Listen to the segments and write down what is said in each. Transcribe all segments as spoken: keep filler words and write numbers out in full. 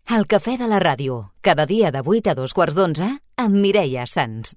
El cafè de la ràdio, cada dia de vuit a dos quarts d'onze, amb Mireia Sans.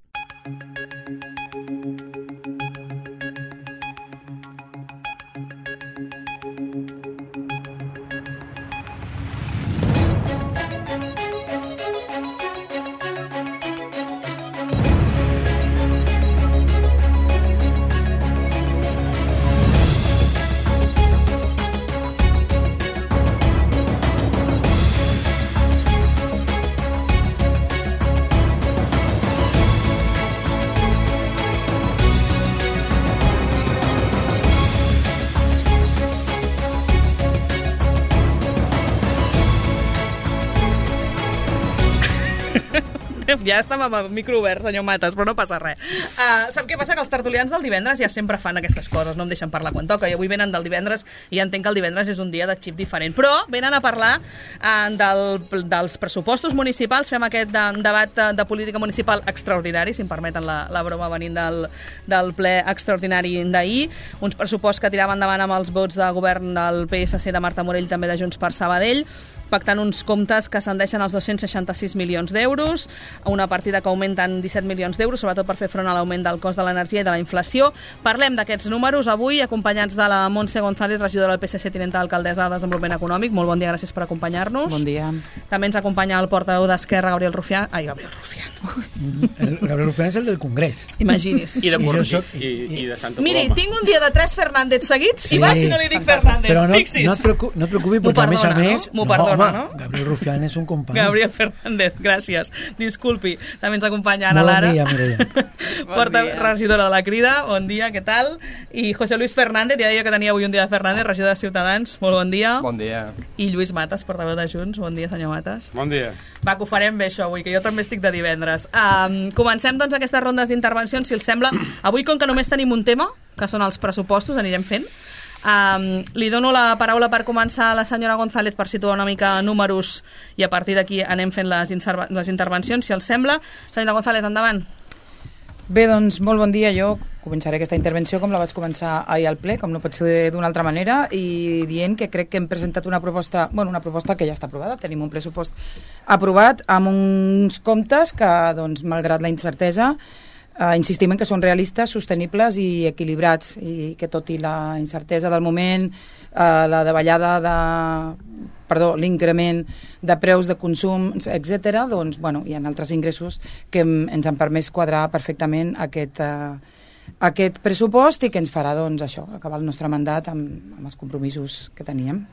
Ja estem amb el micro obert, senyor Matas, però no passa res. Uh, sap què passa? Que els tertulians del divendres ja sempre fan aquestes coses, no em deixen parlar quan toca, i avui venen del divendres i ja entenc que el divendres és un dia de xip diferent, però venen a parlar uh, del, dels pressupostos municipals. Fem aquest de, debat de, de política municipal extraordinari, si em permeten la, la broma venint del, del ple extraordinari d'ahir, uns pressupostos que tiraven endavant amb els vots de govern del P S C de Marta Morell, també de Junts per Sabadell, pactant uns comptes que ascendeixen als dos-cents seixanta-sis milions d'euros, una partida que augmenten disset milions d'euros, sobretot per fer front a l'augment del cost de l'energia i de la inflació. Parlem d'aquests números avui, acompanyats de la Montse González, regidora del P S C, tinenta d'alcaldessa de Desenvolupament Econòmic. Molt bon dia, gràcies per acompanyar-nos. Bon dia. També ens acompanya el portaveu d'Esquerra, Gabriel Rufián. Ai, Gabriel Rufián. El Gabriel Rufián és el del Congrés. Imagini's. I de, Cor... soc... I, i, i de Santa Coloma. Miri, tinc un dia de tres Fernández seguits sí, i vaig i no li dic Fernández. Però no, Fixis. no, et preocupi, no et preocupi, perquè a més a més... M'ho perdona, no? Home, Gabriel Rufián és un company. Gabriel Fernández, gràcies. Disculpi. També ens acompanya Ana Molt Lara. bon dia, Mireia. Porta regidora de la Crida, bon dia, què tal? I José Luis Fernández, ja deia que tenia avui un dia de Fernández, regidor de Ciutadans, molt bon dia. Bon dia. I Lluís Matas, portaveu de Junts, bon dia, senyor Matas. Bon dia. Va, que ho farem bé això avui, que jo també estic de divendres. Um, comencem doncs aquestes rondes d'intervencions, si els sembla. Avui, com que només tenim un tema, que són els pressupostos, anirem fent. Um, li dono la paraula per començar a la senyora González per situar una mica números i a partir d'aquí anem fent les, les intervencions, si els sembla. Senyora González, endavant. Bé, doncs, molt bon dia. Jo començaré aquesta intervenció com la vaig començar ahir al ple, com no pot ser d'una altra manera, i dient que crec que hem presentat una proposta, bueno, una proposta que ja està aprovada. Tenim un pressupost aprovat amb uns comptes que, doncs, malgrat la incertesa, Uh, insistim en que són realistes, sostenibles i equilibrats, i que tot i la incertesa del moment, uh, la davallada de... perdó, l'increment de preus de consum, etcètera, doncs, bueno, hi ha altres ingressos que hem, ens han permès quadrar perfectament aquest, uh, aquest pressupost i que ens farà, doncs, això, acabar el nostre mandat amb, amb els compromisos que teníem.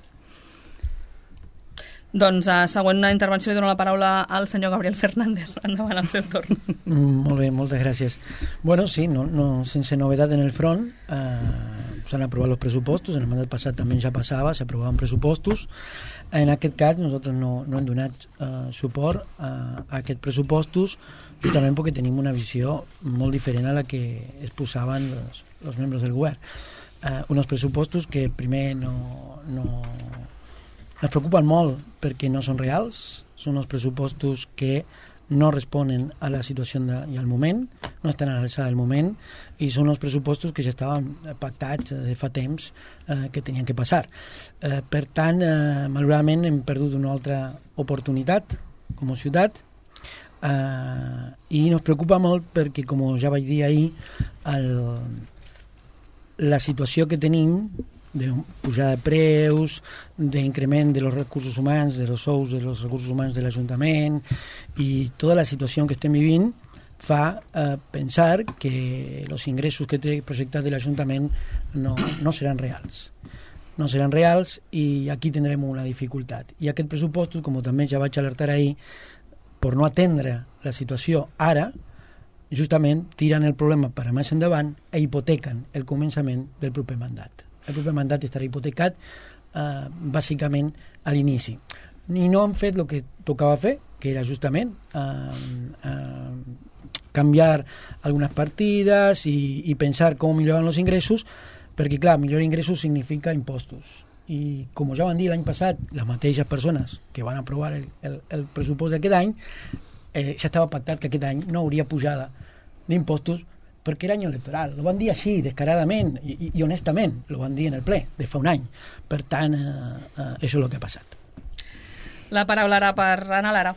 Doncs a uh, següent intervenció li dono la paraula al senyor Gabriel Fernández. Endavant, al seu torn. Mm, molt bé, moltes gràcies. Bueno, sí, no, no, sense novedat en el front, eh, s'han aprovat els pressupostos, en el mandat passat també ja passava, s'aprovaven pressupostos. En aquest cas nosaltres no, no hem donat eh, suport a, a aquests pressupostos, justament perquè tenim una visió molt diferent a la que es posaven els, els membres del govern. Eh, uns pressupostos que primer no... no ens preocupen molt perquè no són reals, són els pressupostos que no responen a la situació de, i al moment, no estan a l'alçada del moment, i són els pressupostos que ja estaven pactats de fa temps eh, que tenien que passar. Eh, per tant, eh, malauradament hem perdut una altra oportunitat com a ciutat, eh, i ens preocupa molt perquè, com ja vaig dir ahir, el, la situació que tenim de pujada de preus, d'increment de los recursos humans, de los sous de los recursos humans de l'Ajuntament, i tota la situació que estem vivint fa eh, pensar que els ingressos que té projectat de l'Ajuntament no, no seran reals. No seran reals i aquí tindrem una dificultat. I aquest pressupost, com també ja vaig alertar ahir, per no atendre la situació ara, justament tiren el problema per a més endavant i hipotequen el començament del proper mandat. El proper mandat estarà hipotecat eh, bàsicament a l'inici. I no han fet el que tocava fer, que era justament eh, eh, canviar algunes partides i, i pensar com milloraven els ingressos, perquè, clar, millorar ingressos significa impostos. I, com ja van dir l'any passat, les mateixes persones que van aprovar el, el, el pressupost d'aquest any, eh, ja estava pactat que aquest any no hauria pujada d'impostos perquè era any electoral. Lo van dir així, descaradament i, i, i honestament, lo van dir en el ple de fa un any. Per tant, eh, eh, això és el que ha passat. La paraula ara per Anna Lara.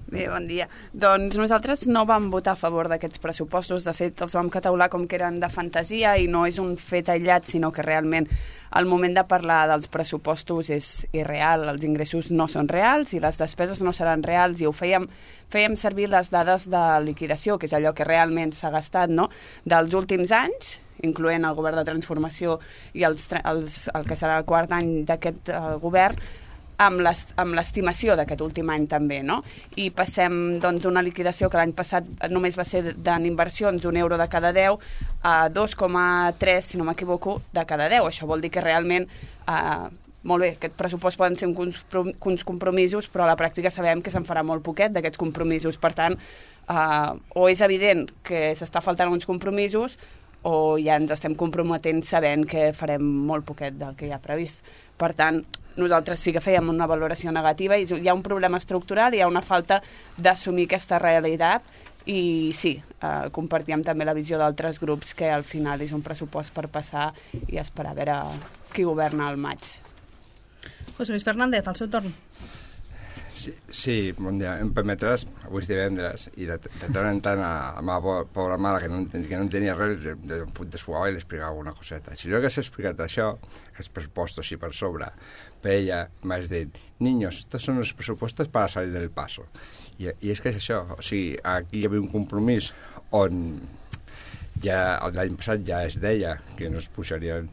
Bé, bon dia. Doncs nosaltres no vam votar a favor d'aquests pressupostos. De fet, els vam catalogar com que eren de fantasia i no és un fet aïllat, sinó que realment el moment de parlar dels pressupostos és irreal. Els ingressos no són reals i les despeses no seran reals i ho fèiem, fèiem servir les dades de liquidació, que és allò que realment s'ha gastat, no?, dels últims anys, incloent el govern de transformació i els, els, el que serà el quart any d'aquest uh, govern, amb l'estimació d'aquest últim any també, no? I passem doncs una liquidació que l'any passat només va ser en inversions un euro de cada deu a dos coma tres, si no m'equivoco, de cada deu. Això vol dir que realment, eh, molt bé, aquest pressupost poden ser uns compromisos, però a la pràctica sabem que se'n farà molt poquet d'aquests compromisos. Per tant, eh, o és evident que s'està faltant uns compromisos o ja ens estem comprometent sabent que farem molt poquet del que hi ha previst. Per tant, nosaltres sí que fèiem una valoració negativa i hi ha un problema estructural, hi ha una falta d'assumir aquesta realitat i sí, eh, compartíem també la visió d'altres grups que al final és un pressupost per passar i esperar a veure qui governa al maig. José Luis Fernández, al seu torn. Sí, sí, bon dia. Em permetràs, avui és divendres, i de, de tant en tant a la meva pobra mare, que no, que no entenia res, de un punt desfugava i li explicava una coseta. Si no hagués explicat això, aquests pressupostos així per sobre, per ella m'has dit, niños, estos son los presupuestos para salir del paso. I, i és que és això, o sigui, aquí hi havia un compromís on ja l'any passat ja es deia que no es pujarien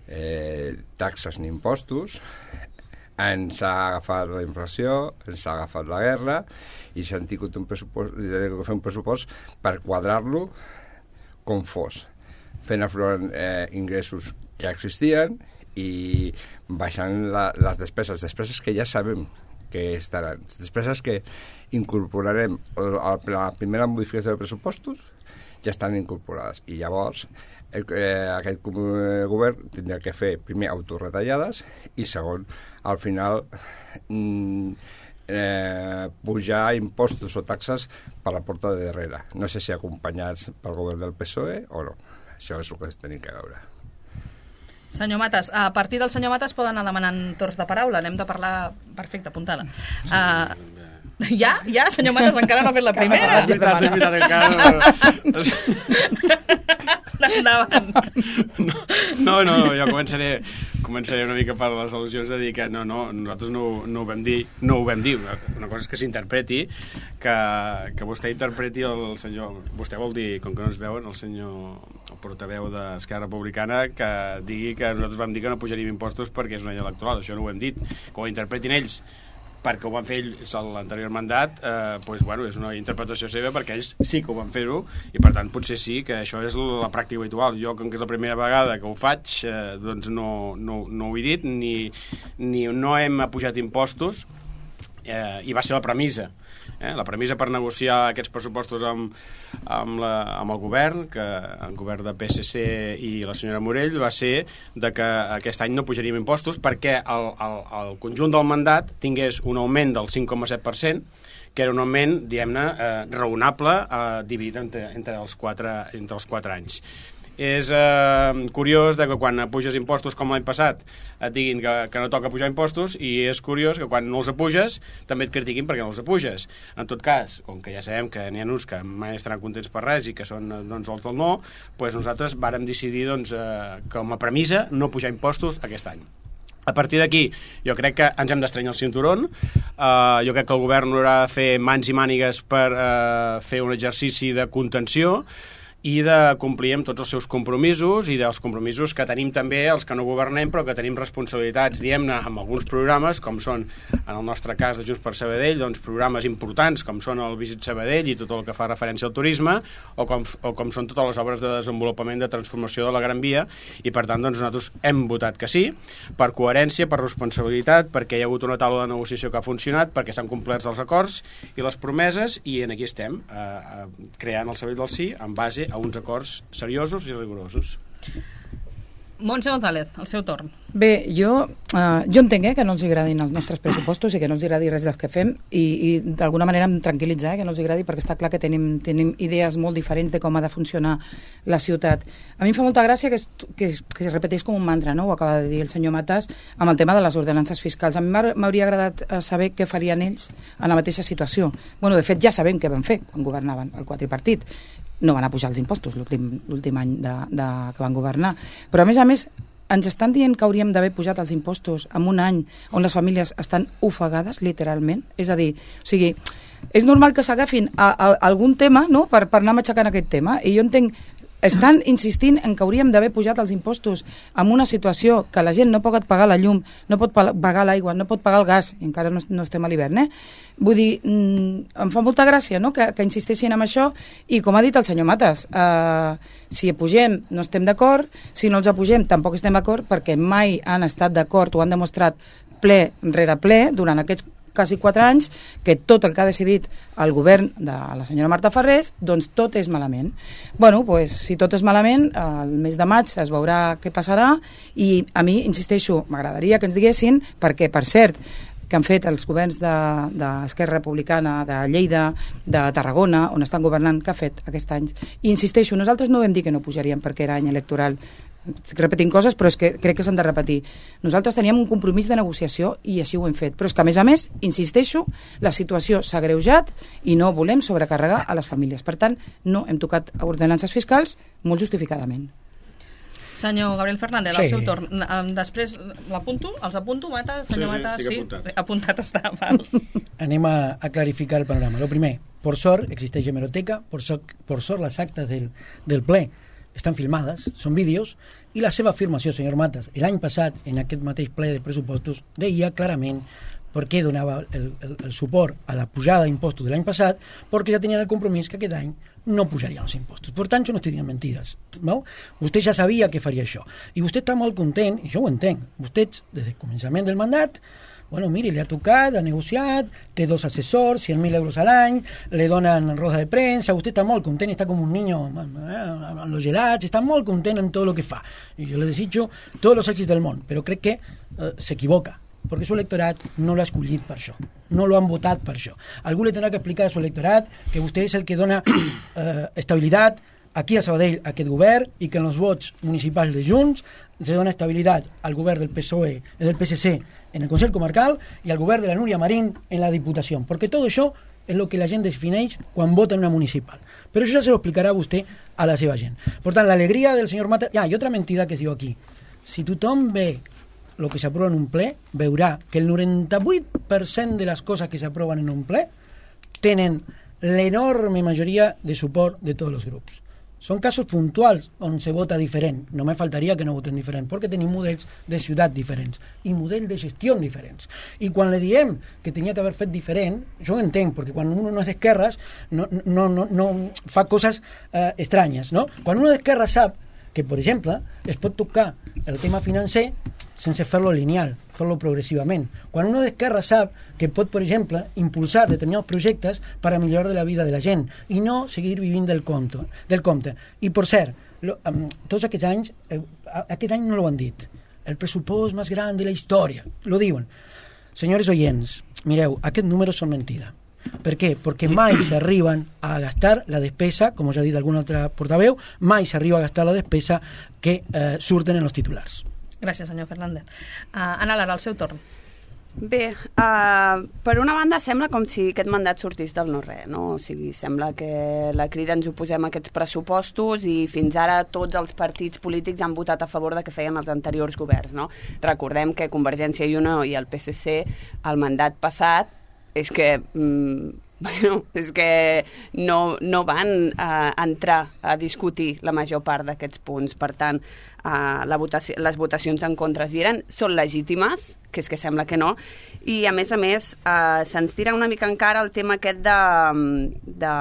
eh, taxes ni impostos, ens ha agafat la inflació, ens ha agafat la guerra i s'han tingut un pressupost, fer un pressupost per quadrar-lo com fos, fent aflorar eh, ingressos que ja existien i baixant la, les despeses, despeses que ja sabem que estaran, despeses que incorporarem a la primera modificació de pressupostos ja estan incorporades i llavors eh, aquest govern tindrà que fer primer autorretallades i segon, al final mm, eh, pujar impostos o taxes per la porta de darrere, no sé si acompanyats pel govern del P S O E o no, això és el que es tenim que veure. Senyor Matas, a partir del senyor Matas poden anar demanant torns de paraula, anem de parlar... Perfecte, apuntada. Uh, ja? Ja? Senyor Matas encara no ha fet la primera. És veritat, és veritat, encara... Endavant. No, no, no, jo començaré, començaré una mica per les al·lusions de dir que no, no, nosaltres no, no ho vam dir, no ho vam dir, una, una cosa és que s'interpreti, que, que vostè interpreti el senyor, vostè vol dir, com que no es veuen, el senyor el portaveu d'Esquerra Republicana, que digui que nosaltres vam dir que no pujaríem impostos perquè és un any electoral, això no ho hem dit, que ho interpretin ells perquè ho van fer ells a l'anterior mandat, eh, doncs, bueno, és una interpretació seva perquè ells sí que ho van fer-ho i per tant potser sí que això és la pràctica habitual. Jo, com que és la primera vegada que ho faig, eh, doncs no, no, no ho he dit, ni, ni no hem pujat impostos, eh, i va ser la premissa. Eh? La premissa per negociar aquests pressupostos amb, amb, la, amb el govern, que el govern de P S C i la senyora Morell, va ser de que aquest any no pujaríem impostos perquè el, el, el conjunt del mandat tingués un augment del cinc coma set per cent, que era un augment, diguem-ne, eh, raonable, eh, dividit entre, entre, els quatre, entre els quatre anys. És eh, curiós de que quan puges impostos com l'any passat et diguin que, que no toca pujar impostos i és curiós que quan no els apuges també et critiquin perquè no els apuges. En tot cas, com que ja sabem que n'hi ha uns que mai estaran contents per res i que són doncs, els del no, doncs nosaltres vàrem decidir doncs, eh, com a premissa no pujar impostos aquest any. A partir d'aquí, jo crec que ens hem d'estrenyar el cinturón. Uh, jo crec que el govern haurà de fer mans i mànigues per uh, fer un exercici de contenció i de complir amb tots els seus compromisos i dels compromisos que tenim també els que no governem però que tenim responsabilitats, diguem-ne, amb alguns programes, com són, en el nostre cas de Junts per Sabadell, doncs programes importants com són el Visit Sabadell i tot el que fa referència al turisme o com, o com són totes les obres de desenvolupament de transformació de la Gran Via i per tant doncs, nosaltres hem votat que sí, per coherència, per responsabilitat, perquè hi ha hagut una taula de negociació que ha funcionat, perquè s'han complert els acords i les promeses i en aquí estem, eh, eh, creant el Sabadell del Sí en base a uns acords seriosos i rigorosos. Montse González, el seu torn. Bé, jo, eh, jo entenc eh, que no els agradin els nostres pressupostos i que no els agradi res dels que fem i, i d'alguna manera em tranquil·litza eh, que no els agradi perquè està clar que tenim, tenim idees molt diferents de com ha de funcionar la ciutat. A mi em fa molta gràcia que es, que, es, que es repeteix com un mantra, no? Ho acaba de dir el senyor Matas, amb el tema de les ordenances fiscals. A mi m'hauria agradat saber què farien ells en la mateixa situació. Bueno, de fet, ja sabem què van fer quan governaven el quadripartit. No van a pujar els impostos l'últim any de, de, que van governar. Però, a més a més, ens estan dient que hauríem d'haver pujat els impostos en un any on les famílies estan ofegades, literalment. És a dir, o sigui, és normal que s'agafin a, a, a algun tema, no?, per, per anar matxacant aquest tema. I jo entenc, estan insistint en que hauríem d'haver pujat els impostos en una situació que la gent no pot pagar la llum, no pot pagar l'aigua, no pot pagar el gas, i encara no, no estem a l'hivern, eh? Vull dir, mm, em fa molta gràcia, no?, que, que insisteixin en això, i com ha dit el senyor Matas, eh, si apugem no estem d'acord, si no els apugem tampoc estem d'acord, perquè mai han estat d'acord o han demostrat ple rere ple durant aquests quasi quatre anys, que tot el que ha decidit el govern de la senyora Marta Farrés, doncs tot és malament. Bueno, pues, si tot és malament, el mes de maig es veurà què passarà, i a mi, insisteixo, m'agradaria que ens diguessin, perquè, per cert, que han fet els governs d'Esquerra de, Republicana, de Lleida, de Tarragona, on estan governant, que ha fet aquest any. I insisteixo, nosaltres no vam dir que no pujaríem perquè era any electoral. Estic repetint coses, però és que crec que s'han de repetir. Nosaltres teníem un compromís de negociació i així ho hem fet. Però és que, a més a més, insisteixo, la situació s'ha greujat i no volem sobrecarregar a les famílies. Per tant, no hem tocat ordenances fiscals molt justificadament. Senyor Gabriel Fernández, sí. Al seu torn. Després l'apunto, els apunto, Mata, senyor sí, sí, Mata, sí, apuntat. apuntat està. Val. Anem a, a clarificar el panorama. Lo primer, por sort, existeix hemeroteca, por sort, por sort les actes del, del ple estan filmades, són vídeos, i la seva afirmació, senyor Matas, l'any passat, en aquest mateix ple de pressupostos, deia clarament per què donava el, el, el suport a la pujada d'impostos de l'any passat, perquè ja tenien el compromís que aquest any no pujarien els impostos. Per tant, jo no estic dient mentides. No? Vostè ja sabia que faria això. I vostè està molt content, i jo ho entenc. Vostè, des del començament del mandat, bueno, mire, le ha tocat, ha negociat, té dos assessors, cien mil euros a l'any, le donen roda de premsa, vostè està molt content, està com un niño eh, amb los gelats, està molt content en tot el que fa. I jo le desitjo tots els èxits del món, però crec que eh, s'equivoca, perquè su electorat no l'ha escollit per això, no lo han votat per això. Algú li tindrà que explicar a su electorat que vostè és el que dona eh, estabilitat aquí a Sabadell a aquest govern i que en els vots municipals de Junts se dona estabilitat al govern del P S O E, del P S C en el Consell Comarcal i al govern de la Núria Marín en la Diputació, perquè tot això és el que la gent defineix quan vota en una municipal. Però això ja se lo explicarà vostè a la seva gent. Per tant, l'alegria del senyor Mata... Ah, i otra mentida que es diu aquí. Si tothom ve el que s'aprova en un ple, veurà que el noranta-vuit per cent de les coses que s'aproven en un ple tenen l'enorme majoria de suport de tots els grups. Són casos puntuals on se vota diferent. No me faltaria que no voten diferent, perquè tenim models de ciutat diferents i models de gestió diferents. I quan le diem que tenia que haver fet diferent, jo ho entenc, perquè quan uno no és d'esquerres no, no, no, no fa coses eh, estranyes, no? Quan uno d'esquerra sap que, per exemple, es pot tocar el tema financer sense fer-lo lineal, fer-lo progressivament. Quan uno d'esquerra sap que pot, per exemple, impulsar determinats projectes per a millorar de la vida de la gent i no seguir vivint del compte. Del compte. I, per cert, lo, um, tots aquests anys, eh, aquest any no l'ho han dit, el pressupost més gran de la història, lo diuen. Senyors oients, mireu, aquests números són mentida. Per què? Perquè mai s'arriben a gastar la despesa, com us ha dit algun altre portaveu, mai s'arriba a gastar la despesa que eh, surten en els titulars. Gràcies, senyor Fernández. Uh, Ana Lara, al seu torn. Bé, uh, per una banda sembla com si aquest mandat sortís del no-res, no? O sigui, sembla que la Crida ens oposem a aquests pressupostos i fins ara tots els partits polítics han votat a favor de que feien els anteriors governs, no? Recordem que Convergència i Unió i el P S C, el mandat passat, és que... Mm, bueno, és que no, no van uh, entrar a discutir la major part d'aquests punts. Per tant, uh, la votació, les votacions en contra hi eren, són legítimes, que és que sembla que no, i a més a més uh, se'ns tira una mica encara el tema aquest de, de,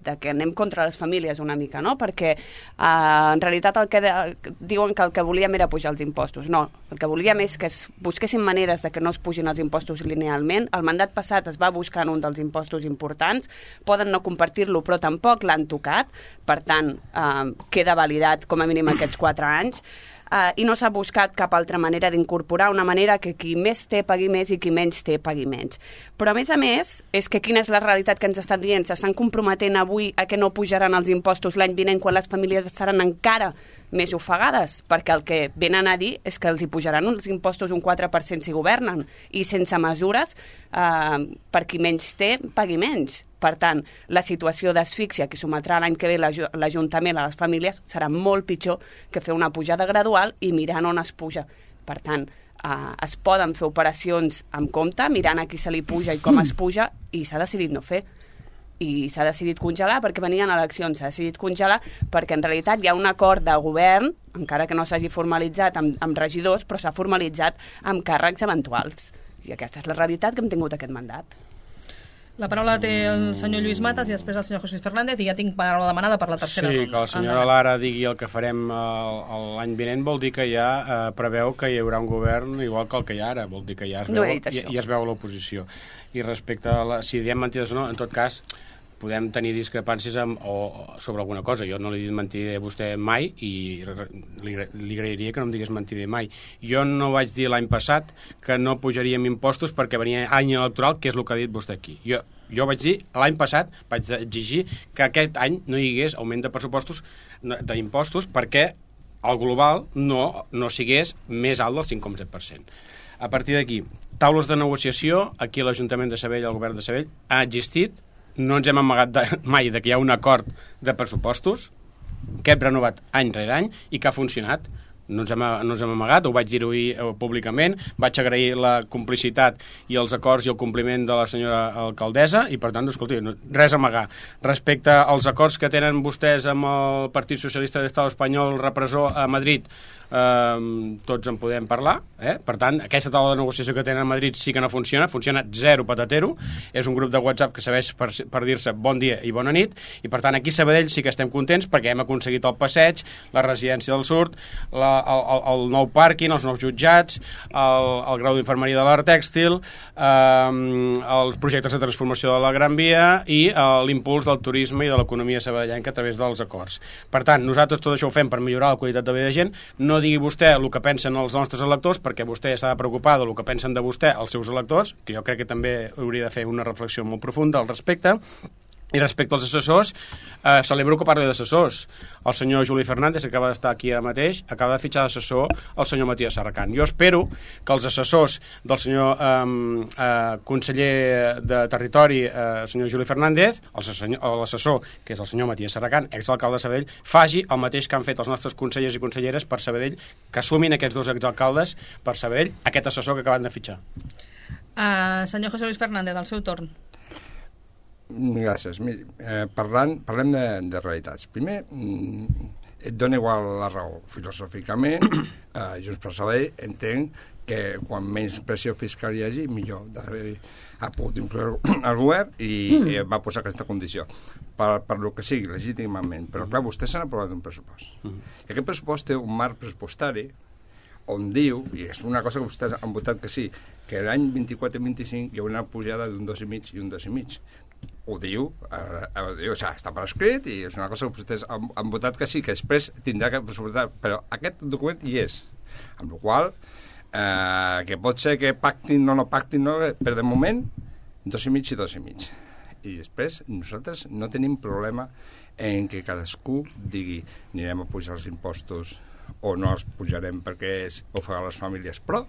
de que anem contra les famílies una mica, no? Perquè uh, en realitat el que de, diuen que el que volíem era pujar els impostos. No, el que volíem és que es busquessin maneres de que no es pugin els impostos linealment. El mandat passat es va buscar en un dels impostos importants, poden no compartir-lo però tampoc l'han tocat, per tant eh, queda validat com a mínim aquests quatre anys. uh, i no s'ha buscat cap altra manera d'incorporar una manera que qui més té pagui més i qui menys té pagui menys. Però a més a més, és que quina és la realitat que ens estan dient? S'estan comprometent avui a que no pujaran els impostos l'any vinent quan les famílies estaran encara més ofegades, perquè el que venen a dir és que els hi pujaran els impostos un quatre per cent si governen, i sense mesures eh, per qui menys té, pagui menys. Per tant, la situació d'asfíxia que sometrà l'any que ve l'Ajuntament a les famílies serà molt pitjor que fer una pujada gradual i mirant on es puja. Per tant, eh, es poden fer operacions amb compte, mirant a qui se li puja i com es puja, i s'ha decidit no fer. I s'ha decidit congelar perquè venien eleccions, s'ha decidit congelar perquè en realitat hi ha un acord de govern, encara que no s'hagi formalitzat amb, amb regidors, però s'ha formalitzat amb càrrecs eventuals. I aquesta és la realitat que hem tingut aquest mandat. La paraula té el senyor Lluís Matas i després el senyor José Fernández, i ja tinc paraula demanada per la tercera sí, ronda. Sí, que la senyora Lara digui el que farem l'any vinent vol dir que ja eh, preveu que hi haurà un govern igual que el que hi ha ara, vol dir que ja es veu, no ja, ja es veu l'oposició. I respecte a la, si diem mentides o no, en tot cas podem tenir discrepàncies amb, o, sobre alguna cosa. Jo no li he dit mentider a vostè mai i li, li agrairia que no em digués mentider mai. Jo no vaig dir l'any passat que no pujaríem impostos perquè venia any electoral, que és el que ha dit vostè aquí. Jo, jo vaig dir, l'any passat vaig exigir que aquest any no hi hagués augment de pressupostos d'impostos perquè el global no, no sigués més alt del cinc coma set per cent. A partir d'aquí, taules de negociació, aquí l'Ajuntament de Sabadell, el govern de Sabadell, ha existit. No ens hem amagat de, mai de que hi ha un acord de pressupostos que hem renovat any rere any i que ha funcionat. No ens hem, no ens hem amagat, ho vaig dir-ho públicament, vaig agrair la complicitat i els acords i el compliment de la senyora alcaldessa i, per tant, escolti, res a amagar. Respecte als acords que tenen vostès amb el Partit Socialista de l'Estat Espanyol repressor a Madrid, Uh, tots en podem parlar, eh? Per tant, aquesta taula de negociació que tenen a Madrid sí que no funciona, funciona zero patatero, és un grup de WhatsApp que serveix per, per dir-se bon dia i bona nit, i per tant aquí a Sabadell sí que estem contents perquè hem aconseguit el passeig, la residència del Surt, la, el, el, el nou pàrquing, els nous jutjats, el, el grau d'infermeria de l'art tèxtil, uh, els projectes de transformació de la Gran Via i uh, l'impuls del turisme i de l'economia sabadellenca a través dels acords. Per tant, nosaltres tot això ho fem per millorar la qualitat de vida de gent. No digui vostè el que pensen els nostres electors, perquè vostè s'ha de preocupar del que pensen de vostè els seus electors, que jo crec que també hauria de fer una reflexió molt profunda al respecte. I respecte als assessors, eh, celebro que parli d'assessors. El senyor Juli Fernández, que acaba d'estar aquí ara mateix, acaba de fitxar d'assessor el senyor Matías Serracant. Jo espero que els assessors del senyor eh, eh, conseller de Territori, eh, el senyor Juli Fernández, l'assessor, que és el senyor Matías Serracant, exalcalde de Sabadell, faci el mateix que han fet els nostres consellers i conselleres per Sabadell, que assumin aquests dos exalcaldes per Sabadell, aquest assessor que acaben de fitxar. Uh, senyor José Luis Fernández, al seu torn. Gràcies. Miri, eh, parlant, parlem de, de realitats. Primer, mm, et dona igual la raó. Filosòficament, eh, Junts per Sabadell entenc que quan menys pressió fiscal hi hagi, millor. Ha pogut influir el govern i eh, va posar aquesta condició. Per, per lo que sigui, legítimament. Però, clar, vostès s'han aprovat un pressupost. I aquest pressupost té un marc pressupostari on diu, i és una cosa que vostès han votat que sí, que l'any vint-i-quatre i vint-i-cinc hi haurà una pujada d'un dos i mig i un dos i mig. Ho diu, eh, ho diu, o sigui, està per escrit i és una cosa que vostès han, han votat que sí, que després tindrà que pressupostar, però aquest document hi és, amb la qual eh, que pot ser que pactin o no pactin, no, però de moment dos i mig i dos i mig. I després nosaltres no tenim problema en que cadascú digui anirem a pujar els impostos o no els pujarem perquè és ofegar les famílies, però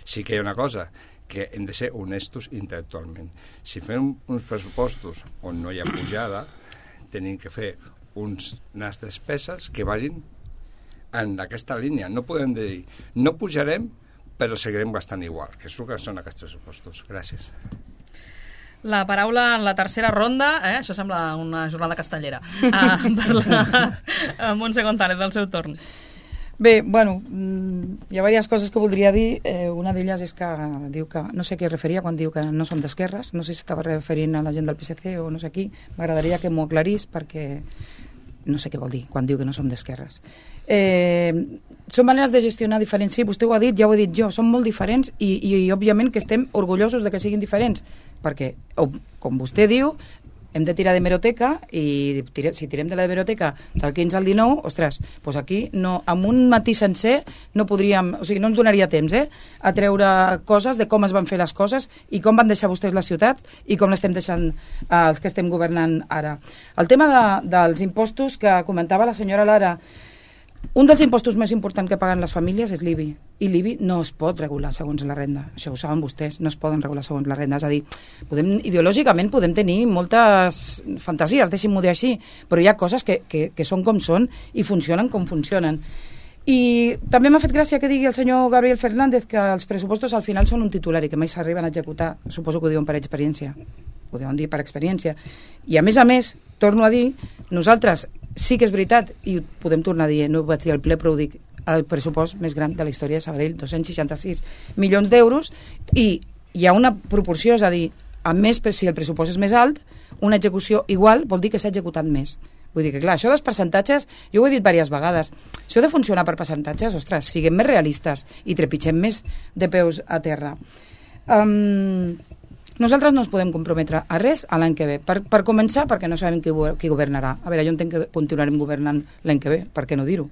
sí que hi ha una cosa, que hem de ser honestos intel·lectualment. Si fem uns pressupostos on no hi ha pujada, tenim que fer uns, unes despeses que vagin en aquesta línia. No podem dir, no pujarem, però seguirem gastant igual, que és el que són aquests pressupostos. Gràcies. La paraula en la tercera ronda, eh? Això sembla una jornada castellera, uh, per la Montse González, del seu torn. Bé, bueno, hi ha diverses coses que voldria dir. Eh, una d'elles és que diu que, no sé a què es referia quan diu que no som d'esquerres, no sé si estava referint a la gent del P S C o no sé qui, m'agradaria que m'ho aclarís perquè no sé què vol dir quan diu que no som d'esquerres. Eh, són maneres de gestionar diferents, sí, vostè ho ha dit, ja ho he dit jo, són molt diferents i, i, i òbviament que estem orgullosos de que siguin diferents, perquè, com vostè diu, hem de tirar d'hemeroteca i tire, si tirem de la hemeroteca del quinze al dinou, ostres, doncs aquí no, amb un matí sencer no podríem, o sigui, no ens donaria temps eh, a treure coses de com es van fer les coses i com van deixar vostès la ciutat i com l'estem deixant eh, els que estem governant ara. El tema de, dels impostos que comentava la senyora Lara, un dels impostos més importants que paguen les famílies és l'I B I, i l'I B I no es pot regular segons la renda, això ho saben vostès, no es poden regular segons la renda, és a dir, podem, ideològicament podem tenir moltes fantasies, deixin-m'ho dir així, però hi ha coses que, que, que són com són i funcionen com funcionen. I també m'ha fet gràcia que digui el senyor Gabriel Fernández que els pressupostos al final són un titular i que mai s'arriben a executar, suposo que ho diuen per experiència, ho deuen dir per experiència, i a més a més, torno a dir, nosaltres sí que és veritat, i ho podem tornar a dir, no ho vaig dir al ple, però ho dic, el pressupost més gran de la història de Sabadell, dos-cents seixanta-sis milions d'euros, i hi ha una proporció, és a dir, a més, si el pressupost és més alt, una execució igual vol dir que s'ha executat més. Vull dir que, clar, això dels percentatges, jo ho he dit diverses vegades, això de funcionar per percentatges, ostres, siguem més realistes i trepitgem més de peus a terra. Um, nosaltres no ens podem comprometre a res a l'any que ve. Per, per començar, perquè no sabem qui, qui governarà. A veure, jo entenc que continuarem governant l'any que ve, per què no dir-ho?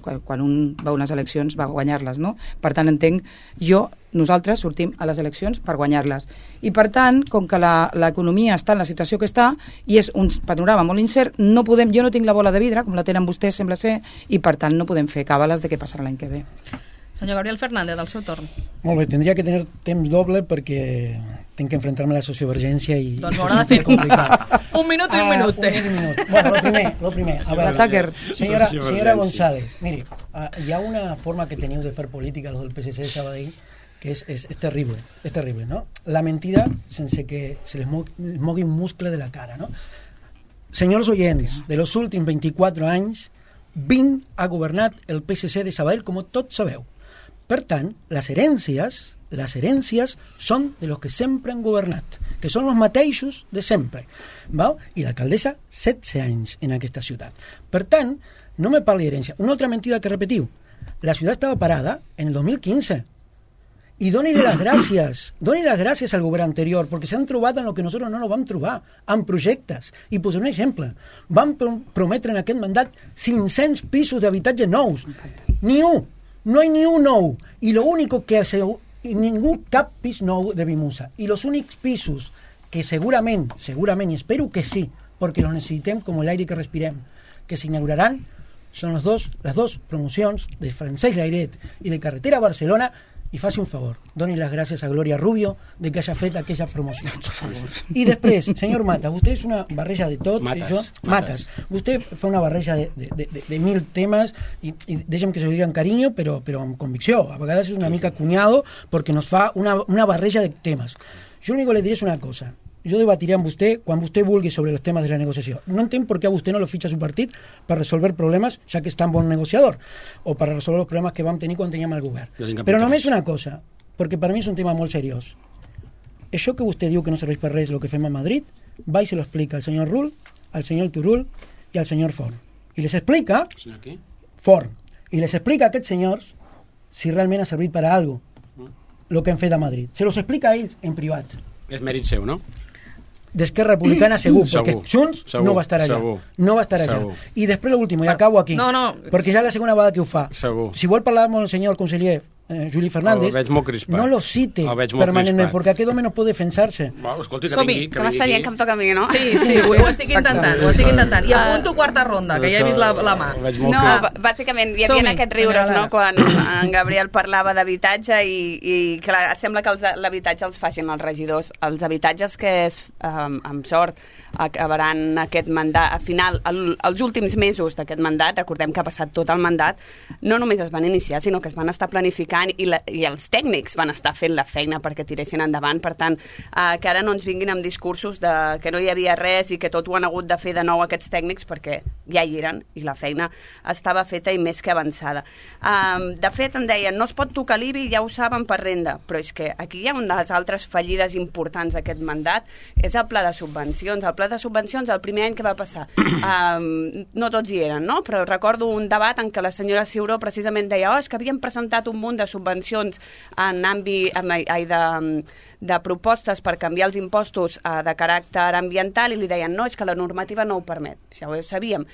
Quan un va a unes eleccions va a guanyar-les, no? Per tant, entenc, jo, nosaltres sortim a les eleccions per guanyar-les. I per tant, com que l'economia està en la situació que està i és un panorama molt incert, no podem, jo no tinc la bola de vidre, com la tenen vostès, sembla ser, i per tant no podem fer càbales de què passarà l'any que ve. Senyor Gabriel Fernández, del seu torn. Molt bé, tindria que tenir temps doble perquè tinc que enfrontar-me a la sociovergència i... Doncs m'haurà de fer complicat. Un minut i un minut. Ah, un minut i un minut. Bueno, lo primer, lo primer. A veure, senyora, senyora González, miri, uh, hi ha una forma que teniu de fer política, los del P S C de Sabadell, que és, és, és terrible, és terrible, no? La mentida sense que se les mogui un muscle de la cara, no? Senyors oients, de los últims vint-i-quatre anys, vint ha governat el P S C de Sabadell, com tots sabeu. Per tant, les herències, les herències són de los que sempre han governat, que són els mateixos de sempre. Val? I l'alcaldessa, setze anys en aquesta ciutat. Per tant, no me parli d'herència. Una altra mentida que repetiu. La ciutat estava parada en el dos mil quinze. I doni-li les gràcies, doni les gràcies al govern anterior, perquè s'han trobat en el que nosaltres no nos vam trobar, en projectes. I posaré un exemple. Vam prometre en aquest mandat cinc-cents pisos d'habitatge nous. Ni un. No hay ni un nou. Y lo único que hace, ningún cap pis nou de Vimusa. Y los únicos pisos que seguramente, seguramente, y espero que sí, porque los necesitem como el aire que respirem, que se inaugurarán, son los dos, las dos promocions de Francesc Layret i de Carretera Barcelona. I faci un favor, doni les gràcies a Gloria Rubio de que hagi fet aquella promoció. I després, senyor Matas, vostè és una barreja de tot. Matas, això, Matas. Matas. Vostè fa una barreja de, de, de, de mil temes i, i deixa'm que se ho digui amb carinyo, però, però amb convicció. A vegades és una mica cunyado perquè nos fa una, una barreja de temes. Jo l'únic que li diré és una cosa. Jo debatiré amb vostè quan vostè vulgui sobre els temes de la negociació. No entenc per què a vostè no lo fitxa a su partit per resolver problemes, ja que és tan bon negociador, o per resolver els problemes que vam tenir quan teníem el govern. Però només una cosa, perquè per mi és un tema molt seriós. Això que vostè diu que no serveix per res el que fem a Madrid, va i se lo explica al senyor Rull, al senyor Turul i al senyor Forn. I les explica... Senyor qui? Forn. I les explica a aquests senyors si realment ha servit per a algo el que han fet a Madrid. Se los explica a ells en privat. És mèrit seu, no? D'Esquerra Republicana segur, segur, perquè Junts segur, no va estar allà. Segur, no va estar allà. Segur. I després l'últim, i acabo aquí. No, no. Perquè ja la segona vegada que ho fa. Segur. Si vol parlar amb el senyor conseller eh, Juli Fernández, no lo cite permanentment, perquè aquest home no pot defensar-se. Bueno, escolti, que Som-hi. vingui, que Que m'està dient que em toca a mi, no? Sí, sí, ho, ho estic intentant, ho estic intentant. I apunto quarta ronda, que ja he vist la, la mà. No, bàsicament hi havia aquests riures, no?, quan en Gabriel parlava d'habitatge i, i clar, et sembla que els, l'habitatge els facin els regidors. Els habitatges que, és, um, amb sort, acabaran aquest mandat, al final, el, els últims mesos d'aquest mandat, recordem que ha passat tot el mandat, no només es van iniciar, sinó que es van estar planificant i, la, i els tècnics van estar fent la feina perquè tiressin endavant. Per tant, eh, que ara no ens vinguin amb discursos de que no hi havia res i que tot ho han hagut de fer de nou aquests tècnics, perquè ja hi eren i la feina estava feta i més que avançada. Um, de fet, em deien, no es pot tocar l'I B I, ja ho saben, per renda, però és que aquí hi ha una de les altres fallides importants d'aquest mandat, és el pla de subvencions. El pla de subvencions, el primer any que va passar, um, no tots hi eren, no? Però recordo un debat en què la senyora Ciuró precisament deia, oh, és que havien presentat un munt de de subvencions en àmbit ai, de, de propostes per canviar els impostos eh, de caràcter ambiental i li deien no, és que la normativa no ho permet, ja ho sabíem.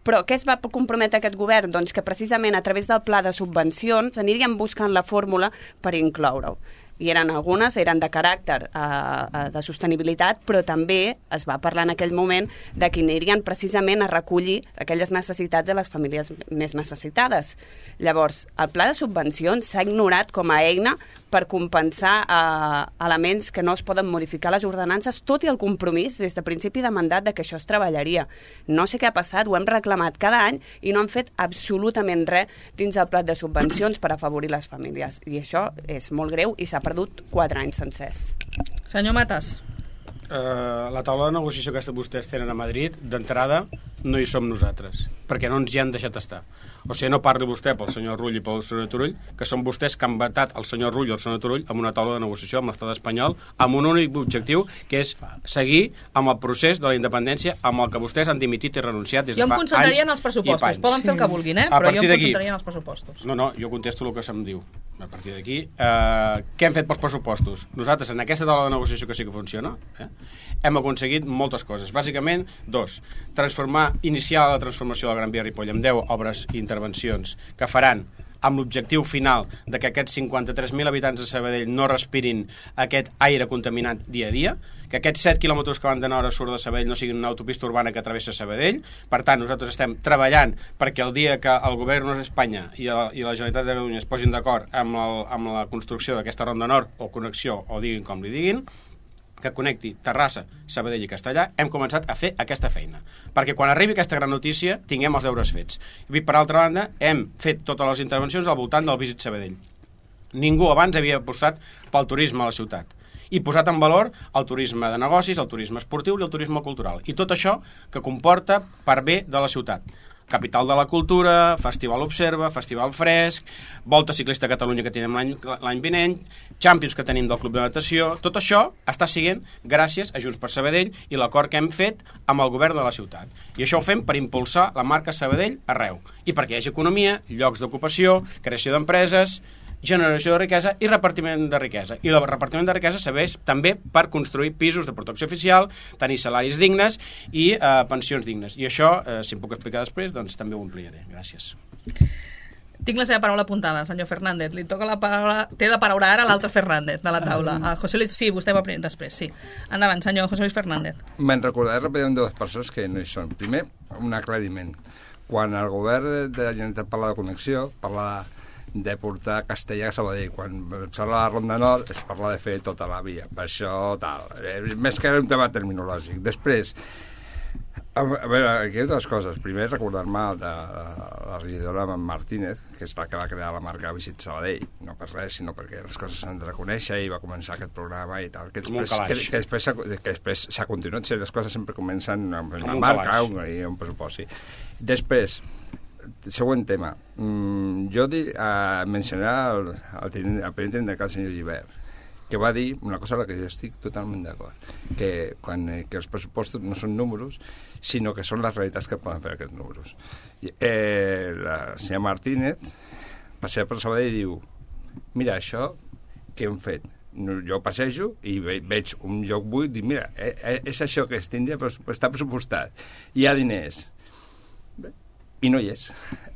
Però què es va comprometre aquest govern? Doncs que precisament a través del pla de subvencions anirien buscant la fórmula per incloure-ho. I eren algunes, eren de caràcter eh, de sostenibilitat, però també es va parlar en aquell moment de que anirien precisament a recollir aquelles necessitats de les famílies més necessitades. Llavors, el pla de subvencions s'ha ignorat com a eina per compensar eh, elements que no es poden modificar les ordenances, tot i el compromís des de principi de mandat de que això es treballaria. No sé què ha passat, ho hem reclamat cada any i no han fet absolutament res dins el pla de subvencions per afavorir les famílies. I això és molt greu i s'ha perdut quatre anys sencers. Senyor Matas. Uh, la taula de negociació que vostès tenen a Madrid, d'entrada, no hi som nosaltres, perquè no ens hi han deixat estar. O sigui, no parli vostè pel senyor Rull i pel senyor Turull, que són vostès que han vetat el senyor Rull i el senyor Turull amb una taula de negociació amb l'estat espanyol, amb un únic objectiu, que és seguir amb el procés de la independència amb el que vostès han dimitit i renunciat des de fa anys. Jo em concentraria en els pressupostos. Poden fer el que vulguin, eh? Però jo em concentraria en els pressupostos. No, no, jo contesto el que se'm diu. A partir d'aquí, eh, què hem fet pels pressupostos? Nosaltres, en aquesta taula de negociació que sí que funciona, eh, hem aconseguit moltes coses. Bàsicament, dos, transformar, iniciar la transformació de la Gran Via Ripoll amb deu obres i intervencions que faran amb l'objectiu final de que aquests cinquanta-tres mil habitants de Sabadell no respirin aquest aire contaminat dia a dia, que aquests set quilòmetres que van de nord a sud de Sabadell no siguin una autopista urbana que travessa Sabadell. Per tant, nosaltres estem treballant perquè el dia que el govern d'Espanya i, el, i la Generalitat de Catalunya es posin d'acord amb, el, amb la construcció d'aquesta ronda nord, o connexió, o diguin com li diguin, que connecti Terrassa, Sabadell i Castellà, hem començat a fer aquesta feina. Perquè quan arribi aquesta gran notícia tinguem els deures fets. I per altra banda, hem fet totes les intervencions al voltant del Visit Sabadell. Ningú abans havia apostat pel turisme a la ciutat i posat en valor el turisme de negocis, el turisme esportiu i el turisme cultural. I tot això que comporta per bé de la ciutat. Capital de la Cultura, Festival Observa, Festival Fresc, Volta Ciclista a Catalunya que tenim l'any vinent, Champions que tenim del Club de Natació. Tot això està siguent gràcies a Junts per Sabadell i l'acord que hem fet amb el govern de la ciutat. I això ho fem per impulsar la marca Sabadell arreu. I perquè hi hagi economia, llocs d'ocupació, creació d'empreses, generació de riquesa i repartiment de riquesa. I el repartiment de riquesa serveix també per construir pisos de protecció oficial, tenir salaris dignes i eh, pensions dignes. I això, eh, si em puc explicar després, doncs també ho ampliaré. Gràcies. Tinc la seva paraula apuntada, senyor Fernández. Li toca la paraula... Té la paraula ara l'altre Fernández de la taula. A José Luis... Sí, vostè va primer, després, sí. Endavant, senyor José Luis Fernández. Me'n recordaré ràpidament dues persones que no hi són. Primer, un aclariment. Quan el govern de la Generalitat parla de connexió, parla de de portar Castellà a Sabadell. Quan es parla de la Ronda Nord es parla de fer tota la via. Per això, tal. Eh, més que un tema terminològic. Després, a veure, aquí hi ha dues coses. Primer, recordar-me de la regidora Martínez, que és la que va crear la marca Visit Sabadell. No per res, sinó perquè les coses s'han de reconèixer i va començar aquest programa i tal. Que després, que, que després, que després s'ha continuat. Les coses sempre comencen amb una marca un, i un pressupost. Sí. Després, següent tema. Mm, jo di, uh, mencionaré el, el, el, el primer tinent del senyor Gibert, que va dir una cosa a la que jo estic totalment d'acord, que, quan, eh, que els pressupostos no són números, sinó que són les realitats que poden fer aquests números. I, eh, la senyora Martínez passea per Sabadell i diu: mira, això que hem fet, jo passejo i ve, veig un lloc buit i dic, mira, eh, eh, és això que es tindria, està pressupostat, hi ha diners. I no hi és.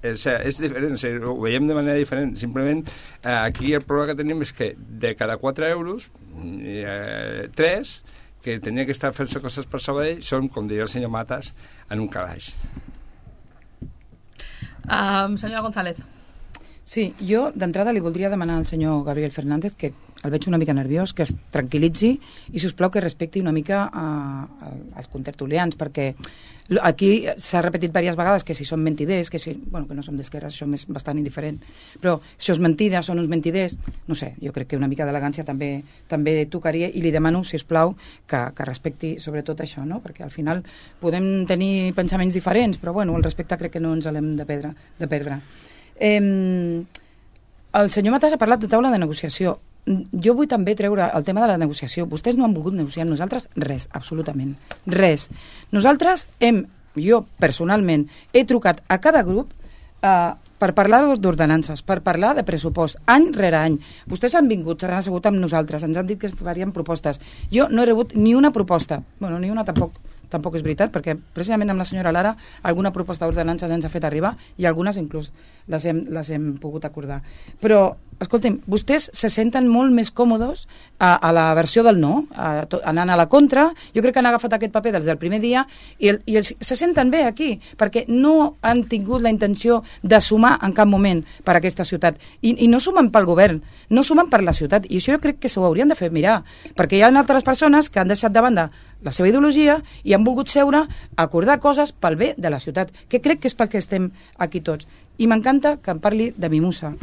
És, és diferent, o sigui, ho veiem de manera diferent. Simplement, eh, aquí el problema que tenim és que de cada quatre euros, eh, tres, que tenia que estar fent-se coses per Sabadell, són, com diria el senyor Matas, en un calaix. Um, senyora González. Sí, jo d'entrada li voldria demanar al senyor Gabriel Fernández, que el veig una mica nerviós, que es tranquil·litzi i, si us plau, que respecti una mica a, a, als contertulians, perquè aquí s'ha repetit diverses vegades que si són mentiders, que si, bueno, que no som d'esquerres, això és bastant indiferent, però això és mentida, són uns mentiders, no sé, jo crec que una mica d'elegància també també tocaria, i li demano, si us plau, que, que respecti sobretot això, no? Perquè al final podem tenir pensaments diferents, però bueno, el respecte crec que no ens l'hem de perdre. De perdre. Eh, el senyor Matas ha parlat de taula de negociació. Jo vull també treure el tema de la negociació. Vostès no han volgut negociar amb nosaltres res, absolutament, res. Nosaltres hem, jo personalment, he trucat a cada grup eh, per parlar d'ordenances, per parlar de pressupost, any rere any. Vostès han vingut, s'han assegut amb nosaltres, ens han dit que farien propostes. Jo no he rebut ni una proposta, bueno, ni una tampoc, tampoc és veritat, perquè precisament amb la senyora Lara alguna proposta d'ordenances ens ha fet arribar i algunes inclús les hem, les hem pogut acordar. Però, escolti'm, vostès se senten molt més còmodes a, a la versió del no, a, to, anant a la contra. Jo crec que han agafat aquest paper des del primer dia i, el, i els, se senten bé aquí, perquè no han tingut la intenció de sumar en cap moment per a aquesta ciutat. I, i no sumen pel govern, no sumen per la ciutat. I això jo crec que s'ho haurien de fer mirar, perquè hi ha altres persones que han deixat de banda la seva ideologia i han volgut seure a acordar coses pel bé de la ciutat, que crec que és pel que estem aquí tots. I m'encanta que em parli de Mimosa.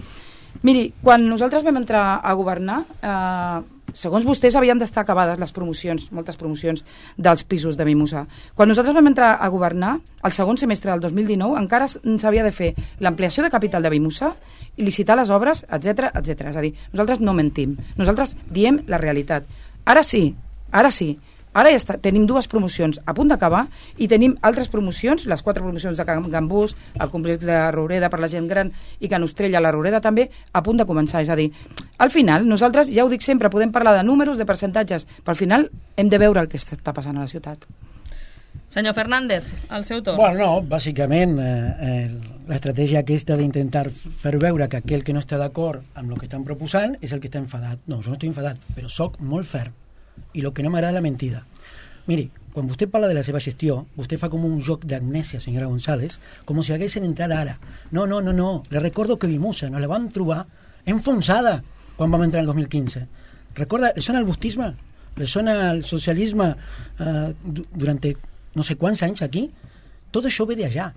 Miri, quan nosaltres vam entrar a governar, eh, segons vostès havien d'estar acabades les promocions, moltes promocions dels pisos de Mimosa. Quan nosaltres vam entrar a governar, el segon semestre del dos mil dinou, encara s'havia de fer l'ampliació de capital de Mimosa i licitar les obres, etcètera, etcètera. És a dir, nosaltres no mentim, nosaltres diem la realitat. Ara sí, ara sí, ara ja està, tenim dues promocions a punt d'acabar i tenim altres promocions, les quatre promocions de Can Gambús, el complex de Roureda per la gent gran i Can Ostrella, la Roureda també, a punt de començar. És a dir, al final, nosaltres, ja ho dic sempre, podem parlar de números, de percentatges, però al final hem de veure el que està passant a la ciutat. Senyor Fernández, el seu torn. Bueno, no, bàsicament eh, eh, l'estratègia aquesta d'intentar fer veure que aquell que no està d'acord amb el que estan proposant és el que està enfadat. No, jo no estic enfadat, però soc molt ferm. I el que no m'agrada és la mentida. Miri, quan vostè parla de la seva gestió, vostè fa com un joc d'amnèsia, senyora González, com si haguessin entrat ara. No, no, no, no. Le recordo que Mimosa nos la vam trobar enfonsada quan vam entrar en el dos mil quinze. Recorda, le sona el bustisme? Le sona el socialisme eh, durant no sé quants anys aquí? Tot això ve d'allà.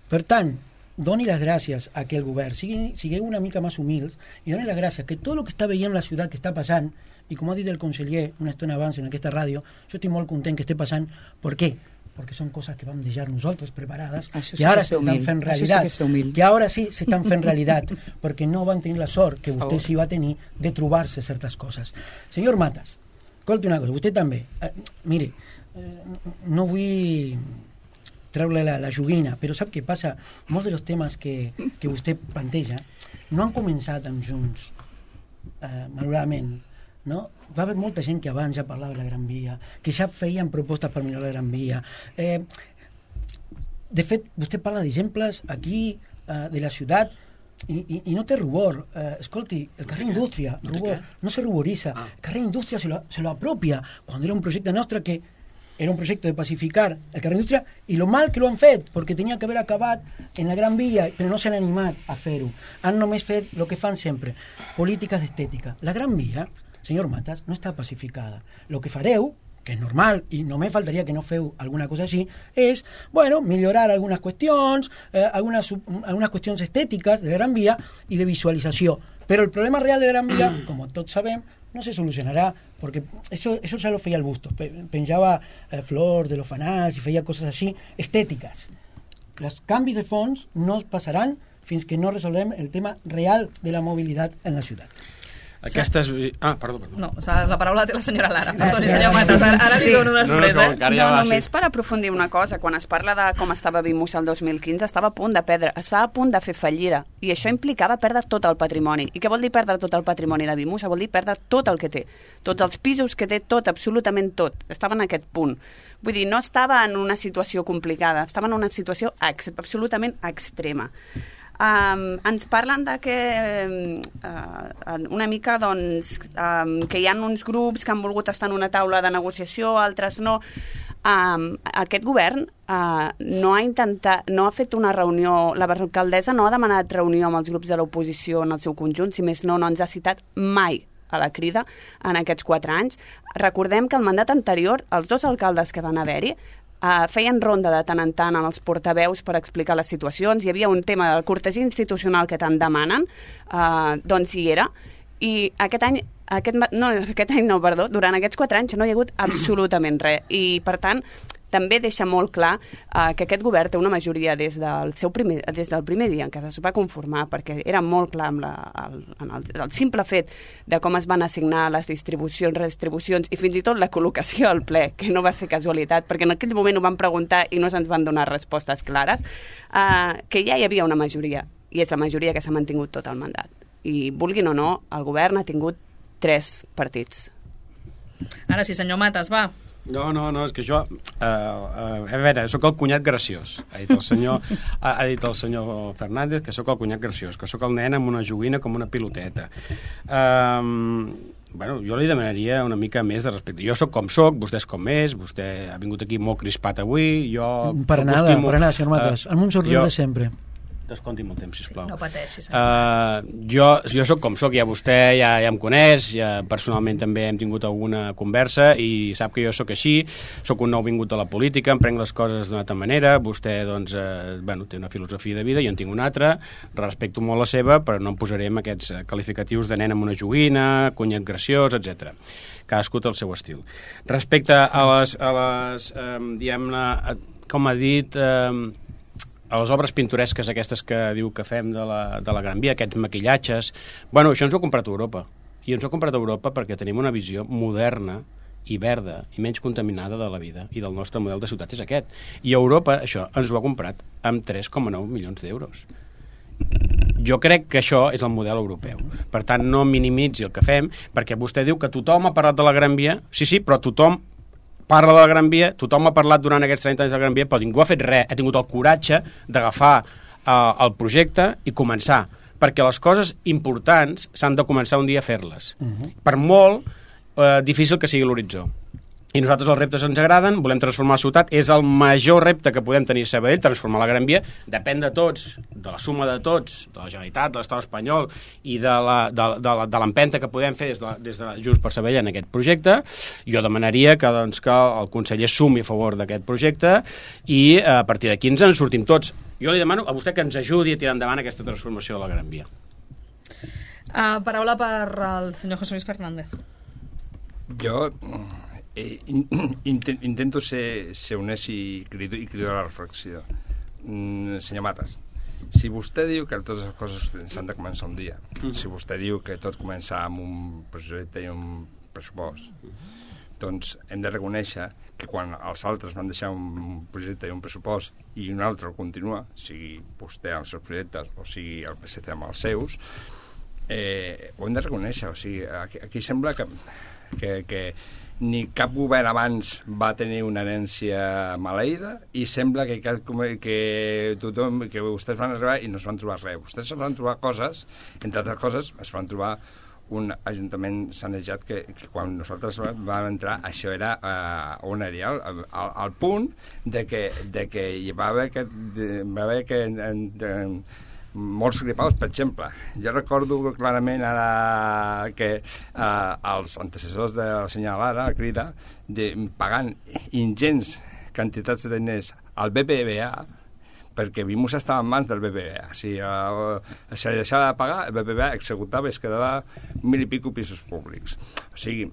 Per tant, doni les gràcies a aquell govern, sigui, sigueu una mica més humils i doni les gràcies que tot el que està veient la ciutat que està passant, i com ha dit el conseller una estona abans en aquesta ràdio, jo estic molt content que esté passant. Per què? Perquè són coses que vam deixar nosaltres preparades, això que ara s'estan fent realitat, sí que, que ara sí s'estan fent realitat, perquè no van tenir la sort que vostè sí va tenir de trobar-se certes coses. Senyor Matas, escolti una cosa, vostè també, eh, mire, eh, no vull treure la, la joguina, però sap què passa? Molts dels temes que, que vostè planteja no han començat amb Junts, eh, malauradament, no? Va haver molta gent que abans ja parlava de la Gran Via, que ja feien propostes per millorar la Gran Via. Eh, de fet, vostè parla d'exemples aquí, eh, de la ciutat, i, i, i no té rubor. Eh, escolti, el carrer Indústria, no, rubor, no se ruboriza. Ah. El carrer Indústria se lo, se lo apropia, quan era un projecte nostre que era un projecte de pacificar el carrer Indústria, i lo mal que lo han fet, perquè tenia que haver acabat en la Gran Via, però no s'han animat a fer-ho. Han només fet el que fan sempre, polítiques d'estètica. La Gran Via, senyor Matas, no està pacificada. El que fareu, que és normal, i només faltaria que no feu alguna cosa així, és, bueno, millorar algunes qüestions, eh, algunes, algunes qüestions estètiques de la Gran Via i de visualització. Però el problema real de la Gran Via, com tots sabem, no se solucionarà, perquè això, això ja lo feia el Bustos, penjava eh, flors de los fanals i feia coses així, estètiques. Els canvis de fons no passaran fins que no resolvem el tema real de la mobilitat en la ciutat. Aquestes... Ah, perdó, perdó. No, la paraula té la senyora Lara. Perdoni, senyor Matas, ara, ara li dono després, no, no, no, eh? No, només per aprofundir una cosa, quan es parla de com estava Mimosa el dos mil quinze, estava a punt de perdre, estava a punt de fer fallida, i això implicava perdre tot el patrimoni. I què vol dir perdre tot el patrimoni de Mimosa? Vol dir perdre tot el que té, tots els pisos que té, tot, absolutament tot. Estava en aquest punt. Vull dir, no estava en una situació complicada, estava en una situació ex, absolutament extrema. Um, ens parlen de que uh, una mica doncs, um, que hi ha uns grups que han volgut estar en una taula de negociació, altres no. Um, aquest govern uh, no ha intentat, no ha fet una reunió, la alcaldessa no ha demanat reunió amb els grups de l'oposició en el seu conjunt, si més no, no ens ha citat mai a la crida en aquests quatre anys. Recordem que el mandat anterior, els dos alcaldes que van haver-hi, Uh, feien ronda de tant en tant amb els portaveus per explicar les situacions. Hi havia un tema de cortesia institucional que tant demanen, uh, doncs hi era. I aquest any, aquest, no, aquest any no, perdó, durant aquests quatre anys no hi ha hagut absolutament res. I, per tant, també deixa molt clar uh, que aquest govern té una majoria des del, seu primer, des del primer dia en què es va conformar, perquè era molt clar amb la, el, en el, el simple fet de com es van assignar les distribucions, redistribucions i fins i tot la col·locació al ple, que no va ser casualitat, perquè en aquell moment ho van preguntar i no se'ns van donar respostes clares, uh, que ja hi havia una majoria. i és la majoria que s'ha mantingut tot el mandat. I, vulguin o no, el govern ha tingut tres partits. Ara sí, senyor Matas, va. No, no, no, és que jo... Uh, uh, a veure, sóc el cunyat graciós. Ha dit el senyor, ha, ha dit el senyor Fernández que sóc el cunyat graciós, que sóc el nen amb una joguina com una piloteta. Um, bueno, jo li demanaria una mica més de respecte. Jo sóc com sóc, vostè és com és, vostè ha vingut aquí molt crispat avui, jo... Per nada, per nada, senyor Matas. Uh, amb un somriure jo... sempre. Desconti molt temps, sisplau. No pateixi, uh, jo, jo sóc com sóc, ja vostè ja, ja em coneix, ja personalment també hem tingut alguna conversa i sap que jo sóc així, sóc un nou vingut a la política, em prenc les coses d'una altra manera, vostè doncs, eh, bueno, té una filosofia de vida, jo en tinc una altra, respecto molt la seva, però no em posaré amb aquests qualificatius de nen amb una joguina, cunyat graciós, etcètera. Cadascú té el seu estil. Respecte a les, a les eh, diguem-ne, com ha dit... Eh, a les obres pintoresques aquestes que diu que fem de la, de la Gran Via, aquests maquillatges... Bueno, això ens ho ha comprat Europa. I ens ho ha comprat Europa perquè tenim una visió moderna i verda i menys contaminada de la vida i del nostre model de ciutat és aquest. I Europa, això, ens ho ha comprat amb tres coma nou milions d'euros. Jo crec que això és el model europeu. Per tant, no minimitzi el que fem, perquè vostè diu que tothom ha parlat de la Gran Via. Sí, sí, però tothom parla de la Gran Via, tothom ha parlat durant aquests trenta anys de la Gran Via, però ningú ha fet res, ha tingut el coratge d'agafar eh, el projecte i començar, perquè les coses importants s'han de començar un dia a fer-les. Uh-huh. Per molt eh, difícil que sigui l'horitzó. I nosaltres els reptes ens agraden, volem transformar la ciutat, és el major repte que podem tenir a Sabadell, transformar la Gran Via, depèn de tots, de la suma de tots, de la Generalitat, de l'Estat espanyol i de l'empenta que podem fer des de, des de Junts per Sabadell en aquest projecte. Jo demanaria que, doncs, que el conseller sumi a favor d'aquest projecte i a partir d'aquí ens en sortim tots. Jo li demano a vostè que ens ajudi a tirar endavant aquesta transformació de la Gran Via. Uh, paraula per al senyor José Luis Fernández. Jo... Eh, intento ser, ser honest i crido, i crido a la reflexió. Mm, senyor Matas, si vostè diu que totes les coses s'han de començar un dia, mm. si vostè diu que tot comença amb un projecte i un pressupost, mm. doncs hem de reconèixer que quan els altres van deixar un projecte i un pressupost i un altre el continua, sigui vostè amb els seus projectes o sigui el P S C amb els seus, eh, ho hem de reconèixer. O sigui, aquí, aquí sembla que, que, que ni cap govern abans va tenir una herència maleïda i sembla que, que tothom, que vostès van arribar i no es van trobar res. Vostès es van trobar coses, entre altres coses, es van trobar un ajuntament sanejat que, que quan nosaltres vam entrar això era uh, un aerial, al, al punt de que, de que hi va haver que, de, va haver que en, en, molts gripaus, per exemple. Jo recordo clarament ara que eh, els antecessors de la senyora Lara, la Crida, de, pagant ingents quantitats de diners al B B V A, perquè Vimus estava en mans del B B V A. Si eh, se li deixava de pagar, el B B V A executava i es quedava mil i pico pisos públics. O sigui,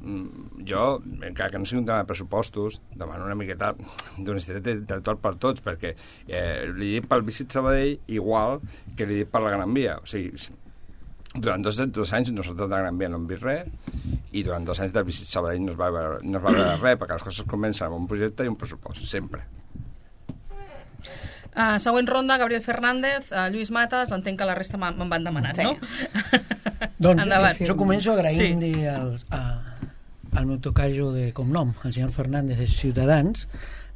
jo, encara que no sigui un tema de pressupostos, demano una miqueta d'honestitat intel·lectual per tots, perquè eh, li dic pel Visit Sabadell igual que li dic per la Gran Via. O sigui, durant dos, dos anys nosaltres de la Gran Via no hem vist res i durant dos anys del Visit Sabadell no es va veure, no es va veure res, perquè les coses comencen amb un projecte i un pressupost, sempre. Uh, següent ronda, Gabriel Fernández, uh, Lluís Matas, entenc que la resta me'n van demanat, sí. No? Doncs jo, jo començo agraint sí. al, a, al meu tocayo de cognom, el senyor Fernández de Ciutadans,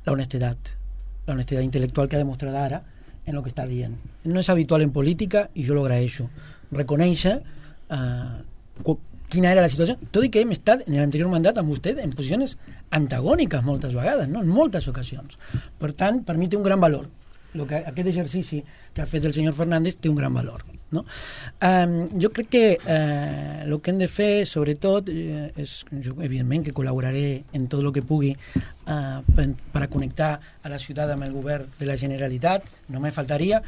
la honestedat, la honestedat intel·lectual que ha demostrat ara en el que està dient. No és habitual en política i jo lo agraeixo. Reconèixer uh, quina era la situació, tot i que hem estat en l'anterior mandat amb vostè en posicions antagòniques moltes vegades, no? En moltes ocasions. Per tant, per mi té un gran valor. Lo que, aquest exercici que ha fet el senyor Fernández té un gran valor, no? Um, jo crec que el uh, que hem de fer, sobretot, uh, és, jo, evidentment, que col·laboraré en tot el que pugui uh, per, per a connectar a la ciutat amb el govern de la Generalitat, no me faltaria,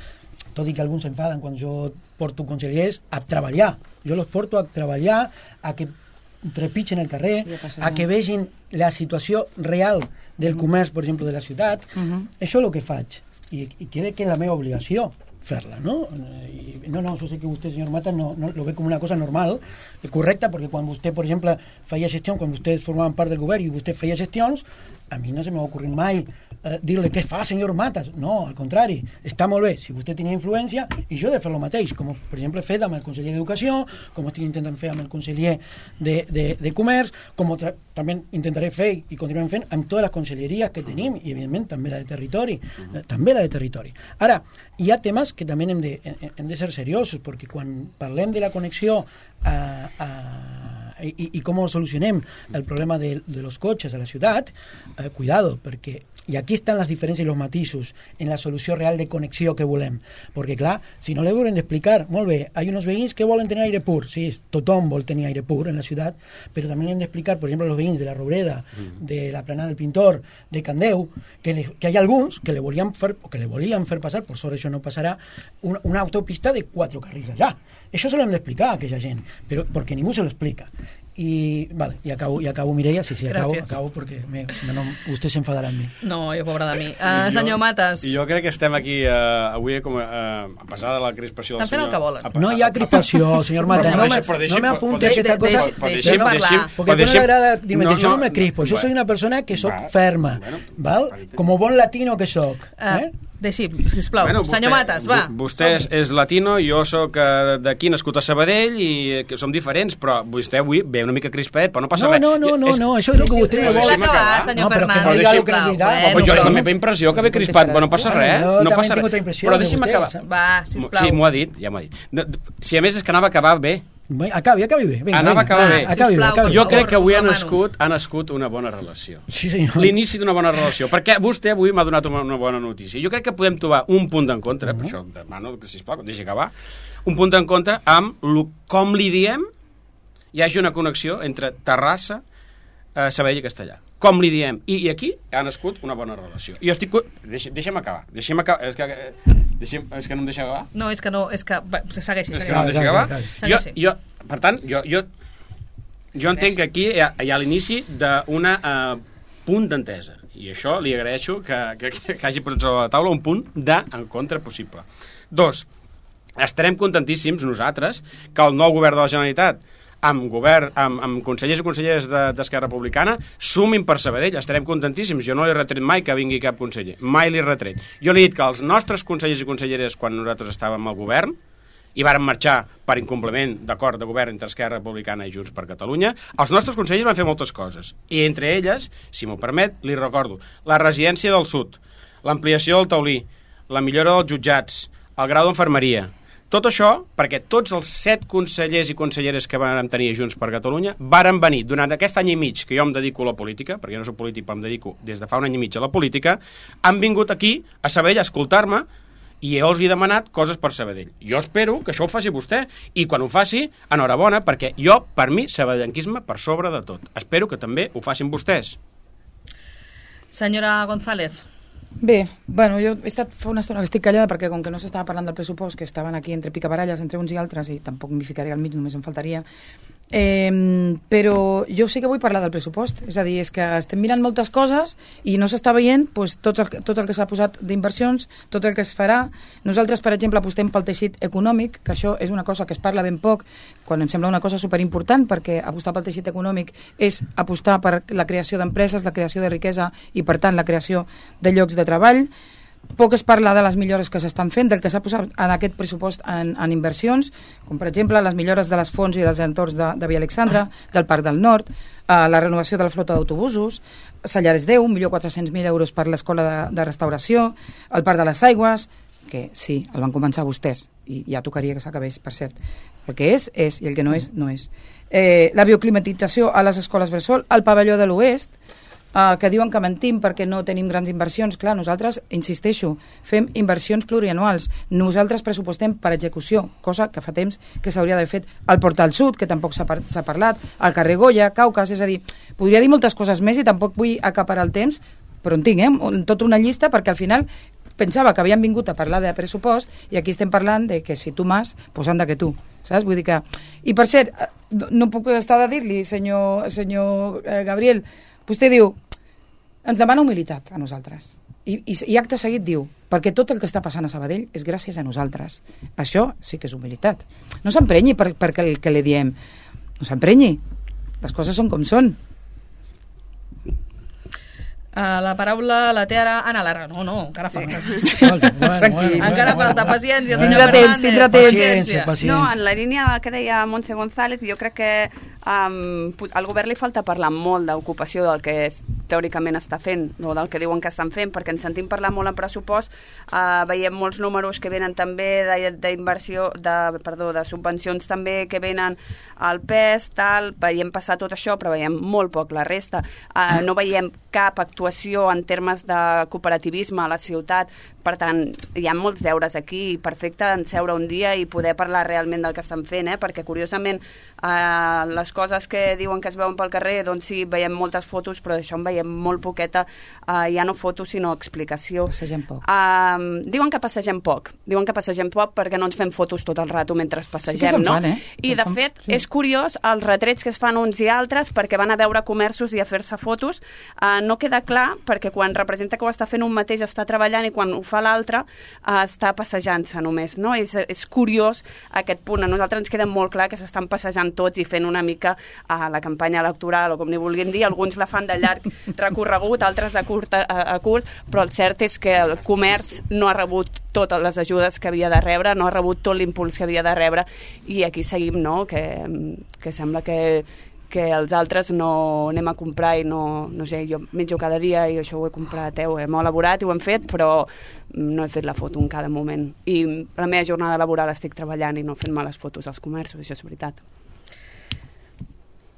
tot i que alguns s'enfaden quan jo porto consellers a treballar. Jo los porto a treballar, a que trepitgen el carrer, a que vegin la situació real del comerç, per exemple, de la ciutat. Uh-huh. Això és el que faig. I, i crec que és la meva obligació fer-la, no? I, no, no, jo sé que vostè, senyor Matas, no, no lo ve com una cosa normal, correcta, perquè quan vostè, per exemple, feia gestió, quan vostès formaven part del govern i vostè feia gestions, a mi no se m'ha ocorrit mai eh, dir-li què fa, senyor Matas. No, al contrari, està molt bé si vostè tenia influència, i jo he de fer el mateix, com per exemple he fet amb el conseller d'Educació, com estic intentant fer amb el conseller de, de, de Comerç, com també intentaré fer i continuem fent amb totes les conselleries que tenim, i evidentment també la de Territori, eh, també la de Territori. Ara, hi ha temes que també hem de, hem de ser seriosos, perquè quan parlem de la connexió a, a I, i com solucionem el problema de, de los cotxes a la ciutat, eh, cuidado, perquè i aquí estan les diferències i els matisos en la solució real de connexió que volem, perquè clar, si no li haurem d'explicar molt bé, hi ha uns veïns que volen tenir aire pur, sí, tothom vol tenir aire pur en la ciutat, però també hem d'explicar, per exemple, als veïns de la Roureda, de la Planada del Pintor, de Candeu, que, le, que hi ha alguns que le volien fer, que le volien fer passar, per sort això no passarà, una, una autopista de quatre carrils allà. Això se l'hem d'explicar a aquella gent, però perquè ningú se l'explica. I, vale, i acabo, i acabo Mireia, sí, sí, acabo, acabo perquè me, si no, vostè s'enfadarà amb mi. No, jo, pobra de mi. Uh, senyor Matas. Jo crec que estem aquí uh, avui com uh, a pesar de la crispació del senyor... Estan fent el que volen. No hi ha crispació, senyor Matas. No, me, no me apunte aquesta cosa. Deixem parlar. Perquè no m'agrada dir, jo no me crispo, jo soy una persona que soc ferma, val? Com bon latino que soc. Eh? Deixi, sisplau. Bueno, vostè, senyor Matas, va. Vostè és, és latino, jo sóc uh, d'aquí, nascut a Sabadell, i que som diferents, però vostè avui ve una mica crispet, però no passa no, res. No, no, no, és, no, això és el que vostè vol. Deixi acabar, senyor Fernández, sisplau. Bueno, jo és la meva impressió que ve crispat, però no passa res. No passa res. Però deixi'm acabar. Va, sisplau. Sí, m'ho ha dit, ja m'ho ha dit. Si a més és que anava a acabar bé. Acabi, acabi bé. Venga, anava a acabar bé. Acabi bé, acabi bé. Jo crec que avui ha nascut, ha nascut una bona relació. Sí, senyor. L'inici d'una bona relació. Perquè vostè avui m'ha donat una, una bona notícia. Jo crec que podem trobar un punt d'encontre, uh -huh. per això demano que, sisplau, deixi acabar, un punt d'encontre amb lo, com li diem hi hagi una connexió entre Terrassa, eh, Sabadell i Castellà. Com li diem. I, I aquí ha nascut una bona relació. I jo estic... Deixi, deixa'm acabar. Deixa'm acabar. És que, deixa'm, és que no em deixa acabar? No, és que no... És que... Va, segueixi, segueixi. És que no em deixa acabar? Jo, jo, per tant, jo, jo, jo entenc que aquí hi ha, hi ha l'inici d'una uh, punt d'entesa. I això li agraeixo que, que, que hagi posat sobre la taula un punt d'encontre possible. Dos, estarem contentíssims nosaltres que el nou govern de la Generalitat amb govern, amb, amb consellers i conselleres d'Esquerra Republicana, sumin per Sabadell, estarem contentíssims. Jo no li he retret mai que vingui cap conseller, mai li he retret. Jo li he dit que els nostres consellers i conselleres, quan nosaltres estàvem al govern, i varen marxar per incompliment d'acord de govern entre Esquerra Republicana i Junts per Catalunya, els nostres consellers van fer moltes coses. I entre elles, si m'ho permet, li recordo, la residència del sud, l'ampliació del taulí, la millora dels jutjats, el grau d'enfermeria. Tot això perquè tots els set consellers i conselleres que van tenir Junts per Catalunya varen venir durant aquest any i mig que jo em dedico a la política, perquè jo no soc polític però em dedico des de fa un any i mig a la política, han vingut aquí a Sabadell a escoltar-me i jo els he demanat coses per Sabadell. Jo espero que això ho faci vostè i quan ho faci, enhorabona, perquè jo, per mi, sabadellenquisme per sobre de tot. Espero que també ho facin vostès. Senyora González. Bé, bueno, jo he estat fa una estona que estic callada perquè com que no s'estava parlant del pressupost, que estaven aquí entre picabaralles entre uns i altres i tampoc m'hi ficaré al mig, només em faltaria, eh, però jo sí que vull parlar del pressupost, és a dir, és que estem mirant moltes coses i no s'està veient pues, tot, el, tot el que s'ha posat d'inversions, tot el que es farà. Nosaltres, per exemple, apostem pel teixit econòmic, que això és una cosa que es parla ben poc, quan em sembla una cosa superimportant, perquè apostar pel teixit econòmic és apostar per la creació d'empreses, la creació de riquesa i, per tant, la creació de llocs de treball. Poc es parla de les millores que s'estan fent, del que s'ha posat en aquest pressupost en, en inversions, com per exemple les millores de les fonts i dels entorns de, de Via Alexandra, del Parc del Nord, eh, la renovació de la flota d'autobusos, Sallares deu, un milió quatre-cents mil euros per l'escola de, de restauració, el Parc de les Aigües, que sí, el van començar vostès, i ja tocaria que s'acabés, per cert. El que és, és, i el que no és, no és. Eh, la bioclimatització a les escoles bressol, el pavelló de l'Oest, Uh, que diuen que mentim perquè no tenim grans inversions. Clar, nosaltres, insisteixo, fem inversions plurianuals. Nosaltres pressupostem per execució, cosa que fa temps que s'hauria d'haver fet al Portal Sud, que tampoc s'ha par parlat, al carrer Goya, Caucas, és a dir, podria dir moltes coses més i tampoc vull acaparar el temps, però en tinc, eh? Tota una llista, perquè al final pensava que havien vingut a parlar de pressupost i aquí estem parlant de que si tu mas, pues anda que tu, saps? Vull dir que... I per cert, no puc estar de dir-li, senyor, senyor eh, Gabriel, vostè diu, ens demana humilitat a nosaltres. I, i, i acte seguit diu, perquè tot el que està passant a Sabadell és gràcies a nosaltres. Això sí que és humilitat. No s'emprenyi per, per el que li diem. No s'emprenyi. Les coses són com són. Uh, la paraula la té ara Anna Lara. No, no, encara falta. Bueno, bueno, bueno, encara bueno, falta, bueno. paciència, Bueno. senyor Tindrà temps, Fernández. tindrà temps. Paciència, paciència. No, en la línia que deia Montse González, jo crec que um, al govern li falta parlar molt d'ocupació del que és, teòricament està fent, o del que diuen que estan fent, perquè ens sentim parlar molt en pressupost, uh, veiem molts números que venen també d'inversió, de, perdó, de subvencions també que venen al P E S, tal, veiem passar tot això, però veiem molt poc la resta. Uh, no veiem cap actuació en termes de cooperativisme a la ciutat, per tant, hi ha molts deures aquí, perfecte en seure un dia i poder parlar realment del que estan fent, eh? Perquè curiosament eh, les coses que diuen que es veuen pel carrer, doncs sí, veiem moltes fotos, però d'això en veiem molt poqueta, eh, ja no fotos sinó explicació. Passegem poc. Uh, diuen que passegem poc, diuen que passegem poc perquè no ens fem fotos tot el rato mentre passegem, Sí que se'n no? fan, eh? I Se'n de fan, fet, sí. és curiós els retrets que es fan uns i altres perquè van a veure comerços i a fer-se fotos. Uh, no queda clar perquè quan representa que ho està fent un mateix està treballant i quan ho fa l'altre uh, està passejant-se només, no? És, és curiós aquest punt. A nosaltres ens queda molt clar que s'estan passejant tots i fent una mica uh, la campanya electoral o com n'hi vulguin dir. Alguns la fan de llarg recorregut, altres de curt a, a curt, però el cert és que el comerç no ha rebut totes les ajudes que havia de rebre, no ha rebut tot l'impuls que havia de rebre i aquí seguim, no? Que, que sembla que que els altres no anem a comprar i no, no sé, jo menjo cada dia i això ho he comprat, eh, ho hem elaborat i ho hem fet, però no he fet la foto en cada moment. I la meva jornada laboral estic treballant i no fent males fotos als comerços, això és veritat.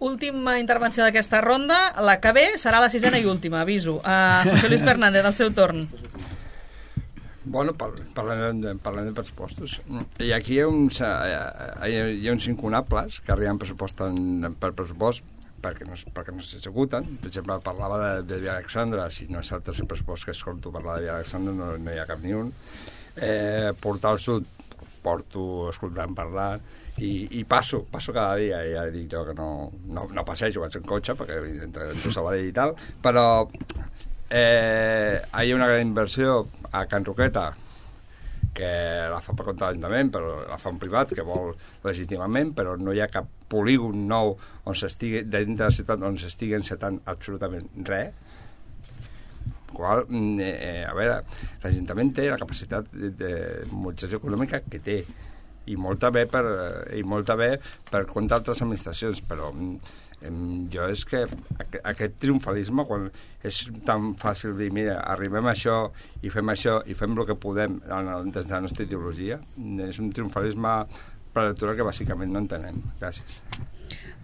Última intervenció d'aquesta ronda, la que ve serà la sisena i última, aviso. Uh, José Luis Fernández, al seu torn. Bueno, parlem de, parlem de pressupostos. I aquí hi ha uns, hi ha, hi ha uns incunables que arriben pressupost en, per pressupost perquè no, perquè no s'executen. Per exemple, parlava de, de Via Alexandra, si no és el tercer pressupost que escolto parlar de Via Alexandra, no, no hi ha cap ni un. Eh, Portal Sud, porto escoltant parlar, i, i passo, passo cada dia, i ja dic jo que no, no, no passejo, vaig en cotxe, perquè evidentment Sabadell i tal, però eh, hi ha una gran inversió a Can Roqueta, que la fa per compte de l'Ajuntament, però la fa un privat que vol legítimament, però no hi ha cap polígon nou on s'estigui, dintre de la ciutat on s'estigui encetant absolutament res. Qual, eh, a veure, l'Ajuntament té la capacitat de, de mobilització econòmica que té, i molta bé per, i molta bé per compte d'altres administracions, però jo és que aquest triomfalisme, quan és tan fàcil dir, mira, arribem a això i fem això i fem el que podem des de la nostra ideologia, és un triomfalisme preelectoral que bàsicament no entenem. Gràcies.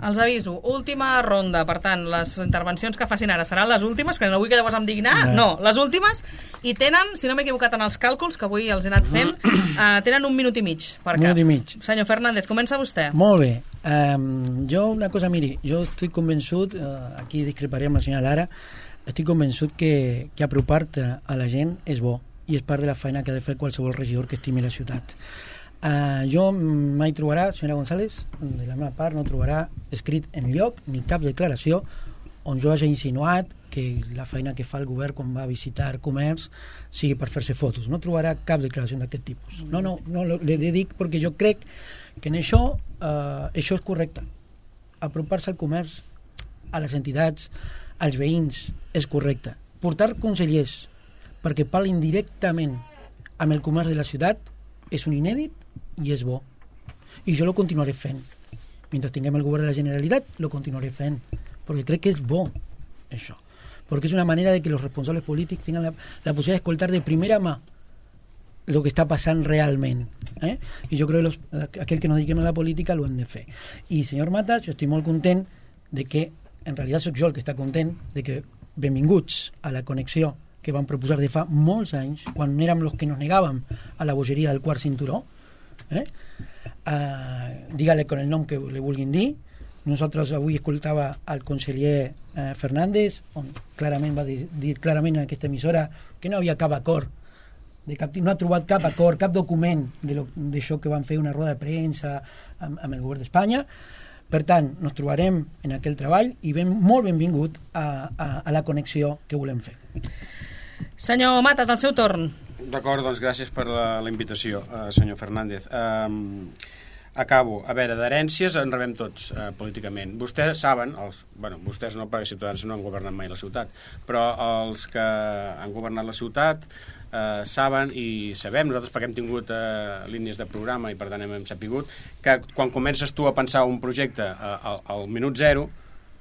Els aviso, última ronda, per tant, les intervencions que facin ara seran les últimes, que no vull que llavors em diguin, ah, no, les últimes, i tenen, si no m'he equivocat en els càlculs, que avui els he anat fent, uh, tenen un minut i mig per cap. Minut i mig. Senyor Fernández, comença vostè. Molt bé. Um, jo, una cosa, miri, jo estic convençut, uh, aquí discreparé amb la senyora Lara, estic convençut que, que apropar-te a la gent és bo, i és part de la feina que ha de fer qualsevol regidor que estimi la ciutat. Uh, jo mai trobarà, senyora González, de la meva part no trobarà escrit en lloc ni cap declaració on jo hagi insinuat que la feina que fa el govern quan va a visitar comerç sigui per fer-se fotos. No trobarà cap declaració d'aquest tipus. No, no, no, le dic perquè jo crec que en això uh, això és correcte. Apropar-se al comerç, a les entitats, als veïns, és correcte. Portar consellers perquè parlin directament amb el comerç de la ciutat és un inèdit i és bo. I jo lo continuaré fent. Mentre tinguem el govern de la Generalitat, lo continuaré fent. Perquè crec que és bo, això. Perquè és una manera de que els responsables polítics tinguin la, la possibilitat d'escoltar de primera mà el que està passant realment. Eh? I jo crec que los, aquell que no dediquem a la política lo hem de fer. I, senyor Matas, jo estic molt content de que, en realitat soc jo el que està content, de que benvinguts a la connexió que van proposar de fa molts anys, quan érem els que nos negàvem a la bogeria del quart cinturó, eh? uh, digue-li con el nom que li vulguin dir. Nosaltres avui escoltava el conseller uh, Fernández, on clarament va dir, dir clarament en aquesta emissora que no havia cap acord, de cap, no ha trobat cap acord, cap document d'això que van fer una roda de premsa amb, amb el govern d'Espanya. Per tant, ens trobarem en aquell treball i ben, molt benvingut a, a, a la connexió que volem fer. Senyor Matas, al seu torn. D'acord, doncs gràcies per la, la invitació, uh, senyor Fernández. Um, acabo. A veure, d'herències en rebem tots eh, políticament. Vostès saben, els, bueno, vostès no, perquè Ciutadans no han governat mai la ciutat, però els que han governat la ciutat eh, saben i sabem, nosaltres perquè hem tingut eh, línies de programa i per tant hem, hem sapigut, que quan comences tu a pensar un projecte eh, al, al minut zero,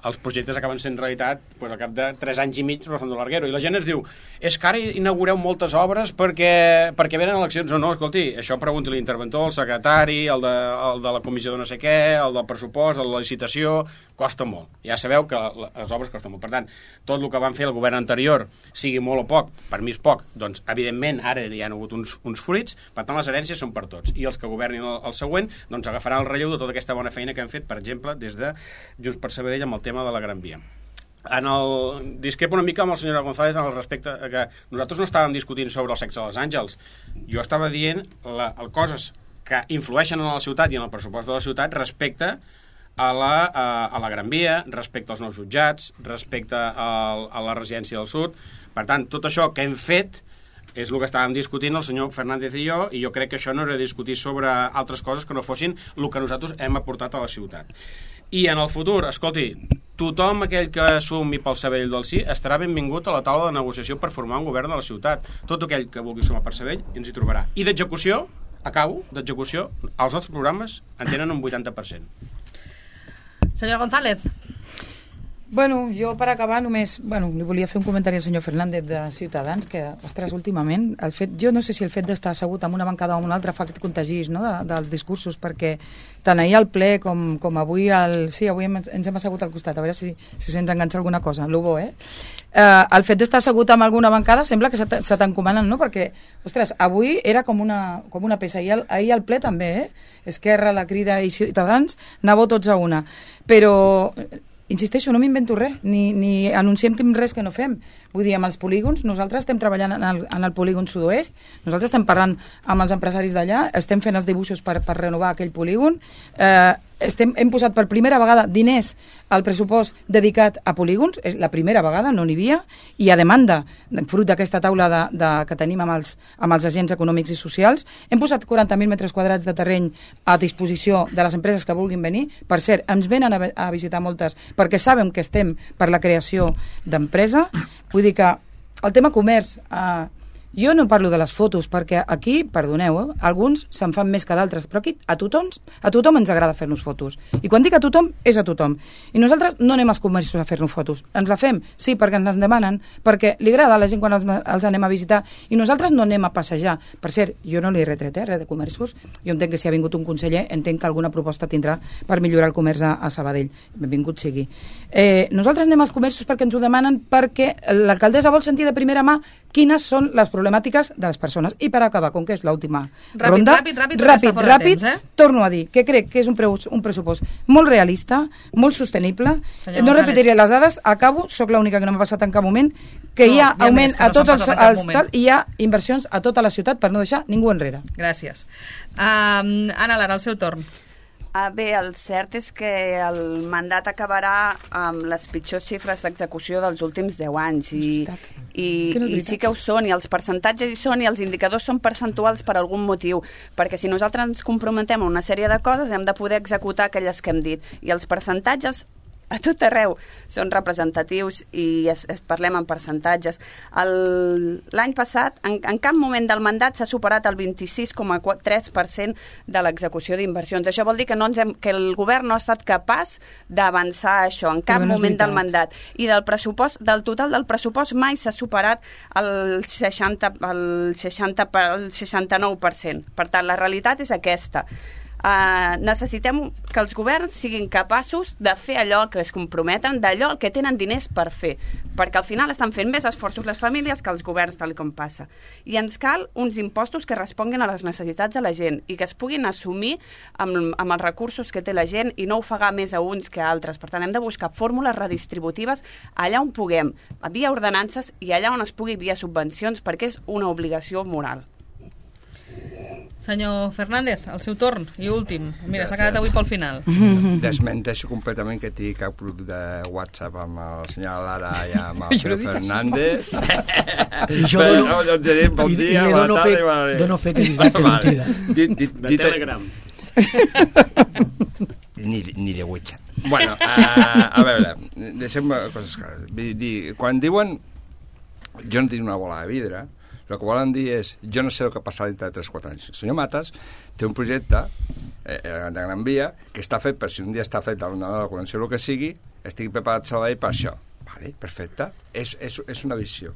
els projectes acaben sent realitat pues, al cap de tres anys i mig Rozando Larguero. I la gent ens diu, és que ara inaugureu moltes obres perquè, perquè venen eleccions. No, no, escolti, això pregunti l'interventor, el secretari, el de, el de la comissió de no sé què, el del pressupost, el de la licitació, costa molt. Ja sabeu que les obres costen molt. Per tant, tot el que van fer el govern anterior, sigui molt o poc, per mi és poc, doncs evidentment ara hi ha hagut uns, uns fruits, per tant les herències són per tots. I els que governin el, el següent doncs agafaran el relleu de tota aquesta bona feina que hem fet, per exemple, des de Junts per Sabadell amb el tema de la Gran Via. En el... Discrepo una mica amb la senyora González en el respecte que nosaltres no estàvem discutint sobre el sexe dels àngels. Jo estava dient la, el coses que influeixen en la ciutat i en el pressupost de la ciutat respecte a la, a, a la Gran Via, respecte als nous jutjats, respecte a, a la residència del sud. Per tant, tot això que hem fet és el que estàvem discutint el senyor Fernández i jo, i jo crec que això no era discutir sobre altres coses que no fossin el que nosaltres hem aportat a la ciutat. I en el futur, escolti, tothom aquell que sumi pel Sabadell del Sí estarà benvingut a la taula de negociació per formar un govern de la ciutat. Tot aquell que vulgui sumar per Sabadell ens hi trobarà. I d'execució, acabo, d'execució, els nostres programes en tenen un vuitanta per cent. Senyora González. Bueno, jo per acabar només, bueno, li volia fer un comentari al senyor Fernández de Ciutadans, que, ostres, últimament, el fet, jo no sé si el fet d'estar assegut en una bancada o en una altra fa que et contagis, no?, de, dels discursos, perquè tant ahir al ple com, com avui al... Sí, avui hem, ens hem assegut al costat, a veure si, si se'ns enganxa alguna cosa, lo bo, eh? Uh, el fet d'estar assegut amb alguna bancada sembla que se, se t'encomanen, no?, perquè, ostres, avui era com una, com una peça, ahir al, ahir al ple també, eh? Esquerra, la Crida i Ciutadans, anàveu tots a una, però... Insisteixo, no m'invento res, ni, ni anunciem res que no fem. Vull dir, amb els polígons, nosaltres estem treballant en el, en el polígon sud-oest, nosaltres estem parlant amb els empresaris d'allà, estem fent els dibuixos per, per renovar aquell polígon, eh, estem, hem posat per primera vegada diners al pressupost dedicat a polígons, és la primera vegada, no n'hi havia, i a demanda, fruit d'aquesta taula de, de, que tenim amb els, amb els agents econòmics i socials, hem posat quaranta mil metres quadrats de terreny a disposició de les empreses que vulguin venir. Per cert, ens venen a, a visitar moltes perquè saben que estem per la creació d'empresa. Vull dir que el tema comerç... Eh, jo no parlo de les fotos, perquè aquí, perdoneu, eh, alguns se'n fan més que d'altres, però aquí a tothom, a tothom ens agrada fer-nos fotos. I quan dic a tothom, és a tothom. I nosaltres no anem als comerços a fer-nos fotos. Ens la fem, sí, perquè ens les demanen, perquè li agrada a la gent quan els, els anem a visitar, i nosaltres no anem a passejar. Per cert, jo no li he retret eh, res de comerços. Jo entenc que si ha vingut un conseller, entenc que alguna proposta tindrà per millorar el comerç a, a Sabadell. Benvingut sigui. Eh, nosaltres anem als comerços perquè ens ho demanen, perquè l'alcaldessa vol sentir de primera mà quines són les problemàtiques de les persones. I per acabar, com que és l'última ronda, ràpid, ràpid, ràpid, ràpid, temps, eh? torno a dir que crec que és un, pre un pressupost molt realista, molt sostenible. Senyor no González. repetiré les dades, acabo, sóc l'única que no m'ha passat en cap moment, que no, hi ha augment a tots els, els tal, i hi ha inversions a tota la ciutat per no deixar ningú enrere. Gràcies. Um, Anna Lara, el seu torn. Ah, bé, el cert és que el mandat acabarà amb les pitjors xifres d'execució dels últims deu anys i, i, no i sí que ho són, i els percentatges hi són, i els indicadors són percentuals per algun motiu, perquè si nosaltres ens comprometem a una sèrie de coses hem de poder executar aquelles que hem dit, i els percentatges a tot arreu són representatius i es, es parlem en percentatges. L'any passat, en, en cap moment del mandat s'ha superat el vint-i-sis coma tres per cent de l'execució d'inversions. Això vol dir que, no ens hem, que el govern no ha estat capaç d'avançar això en cap no moment del mandat. I del pressupost, del total del pressupost mai s'ha superat el seixanta, el seixanta, el seixanta-nou per cent. Per tant, la realitat és aquesta. Uh, necessitem que els governs siguin capaços de fer allò que es comprometen, d'allò que tenen diners per fer, perquè al final estan fent més esforços les famílies que els governs, tal com passa. I ens cal uns impostos que responguin a les necessitats de la gent i que es puguin assumir amb, amb els recursos que té la gent i no ofegar més a uns que a altres. Per tant, hem de buscar fórmules redistributives allà on puguem, via ordenances, i allà on es pugui via subvencions, perquè és una obligació moral. Senyor Fernández, el seu torn, i últim. Mira, s'ha quedat avui pel final. Desmenteixo completament que tingui cap grup de WhatsApp amb el senyor Lara i amb el senyor Fernández. I jo dono, i, i li dono fe, dono fe que és mentida. De Telegram. ni, ni de WeChat. Bueno, a, a veure, deixem coses clares. Vull dir, quan diuen jo no tinc una bola de vidre, el que volen dir és jo no sé el que passarà dintre de tres o quatre anys. El senyor Matas té un projecte eh, de Gran Via que està fet per si un dia està fet a l'onada de la connexió o el que sigui, estigui preparat Sabadell per això. Vale, perfecte. És, és, és una visió.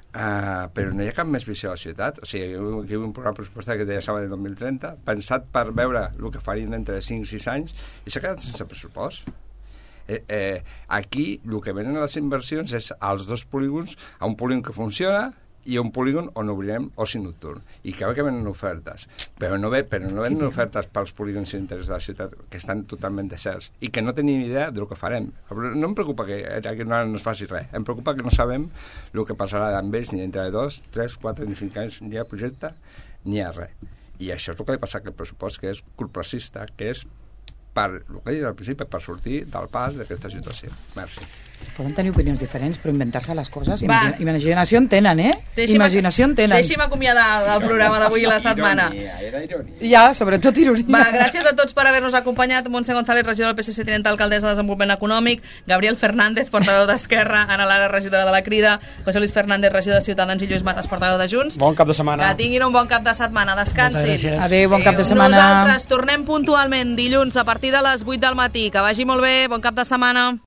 Uh, però no hi ha cap més visió a la ciutat. O sigui, aquí hi ha un programa pressupostari que deia Sabadell dos mil trenta, pensat per veure el que farien entre cinc i sis anys, i s'ha quedat sense pressupost. Eh, eh, aquí el que venen a les inversions és als dos polígons, a un polígon que funciona i un polígon on obrirem oci nocturn. I que que venen ofertes, però no, ve, però no venen ofertes pels polígons d'interès de la ciutat, que estan totalment deserts, i que no tenim idea del que farem. No em preocupa que, que no, no es faci res, em preocupa que no sabem el que passarà amb ells ni entre dos, tres, quatre ni cinc anys, ni hi ha projecte, ni hi ha res. I això és el que li passa a aquest pressupost, que és corporacista, que és per, el que he dit al principi, per sortir del pas d'aquesta situació. Merci. Poden tenir opinions diferents, però inventar-se les coses... Imagina, imaginació en tenen, eh? Deixi'm, imaginació en tenen. Deixi'm acomiadar el programa d'avui i la setmana. Ironia, era ironia. Ja, sobretot ironia. Va, gràcies a tots per haver-nos acompanyat. Montse González, regidor del P S C, tinent alcaldessa de Desenvolupament Econòmic, Gabriel Fernández, portaveu d'Esquerra, Ana Lara, regidora de la Crida, José Luis Fernández, regidor de Ciutadans, i Lluís Matas, portaveu de Junts. Bon cap de setmana. Que tinguin un bon cap de setmana. Descansin. Adéu, bon cap de setmana. Nosaltres tornem puntualment dilluns a partir de les vuit del matí. Que vagi molt bé. Bon cap de setmana.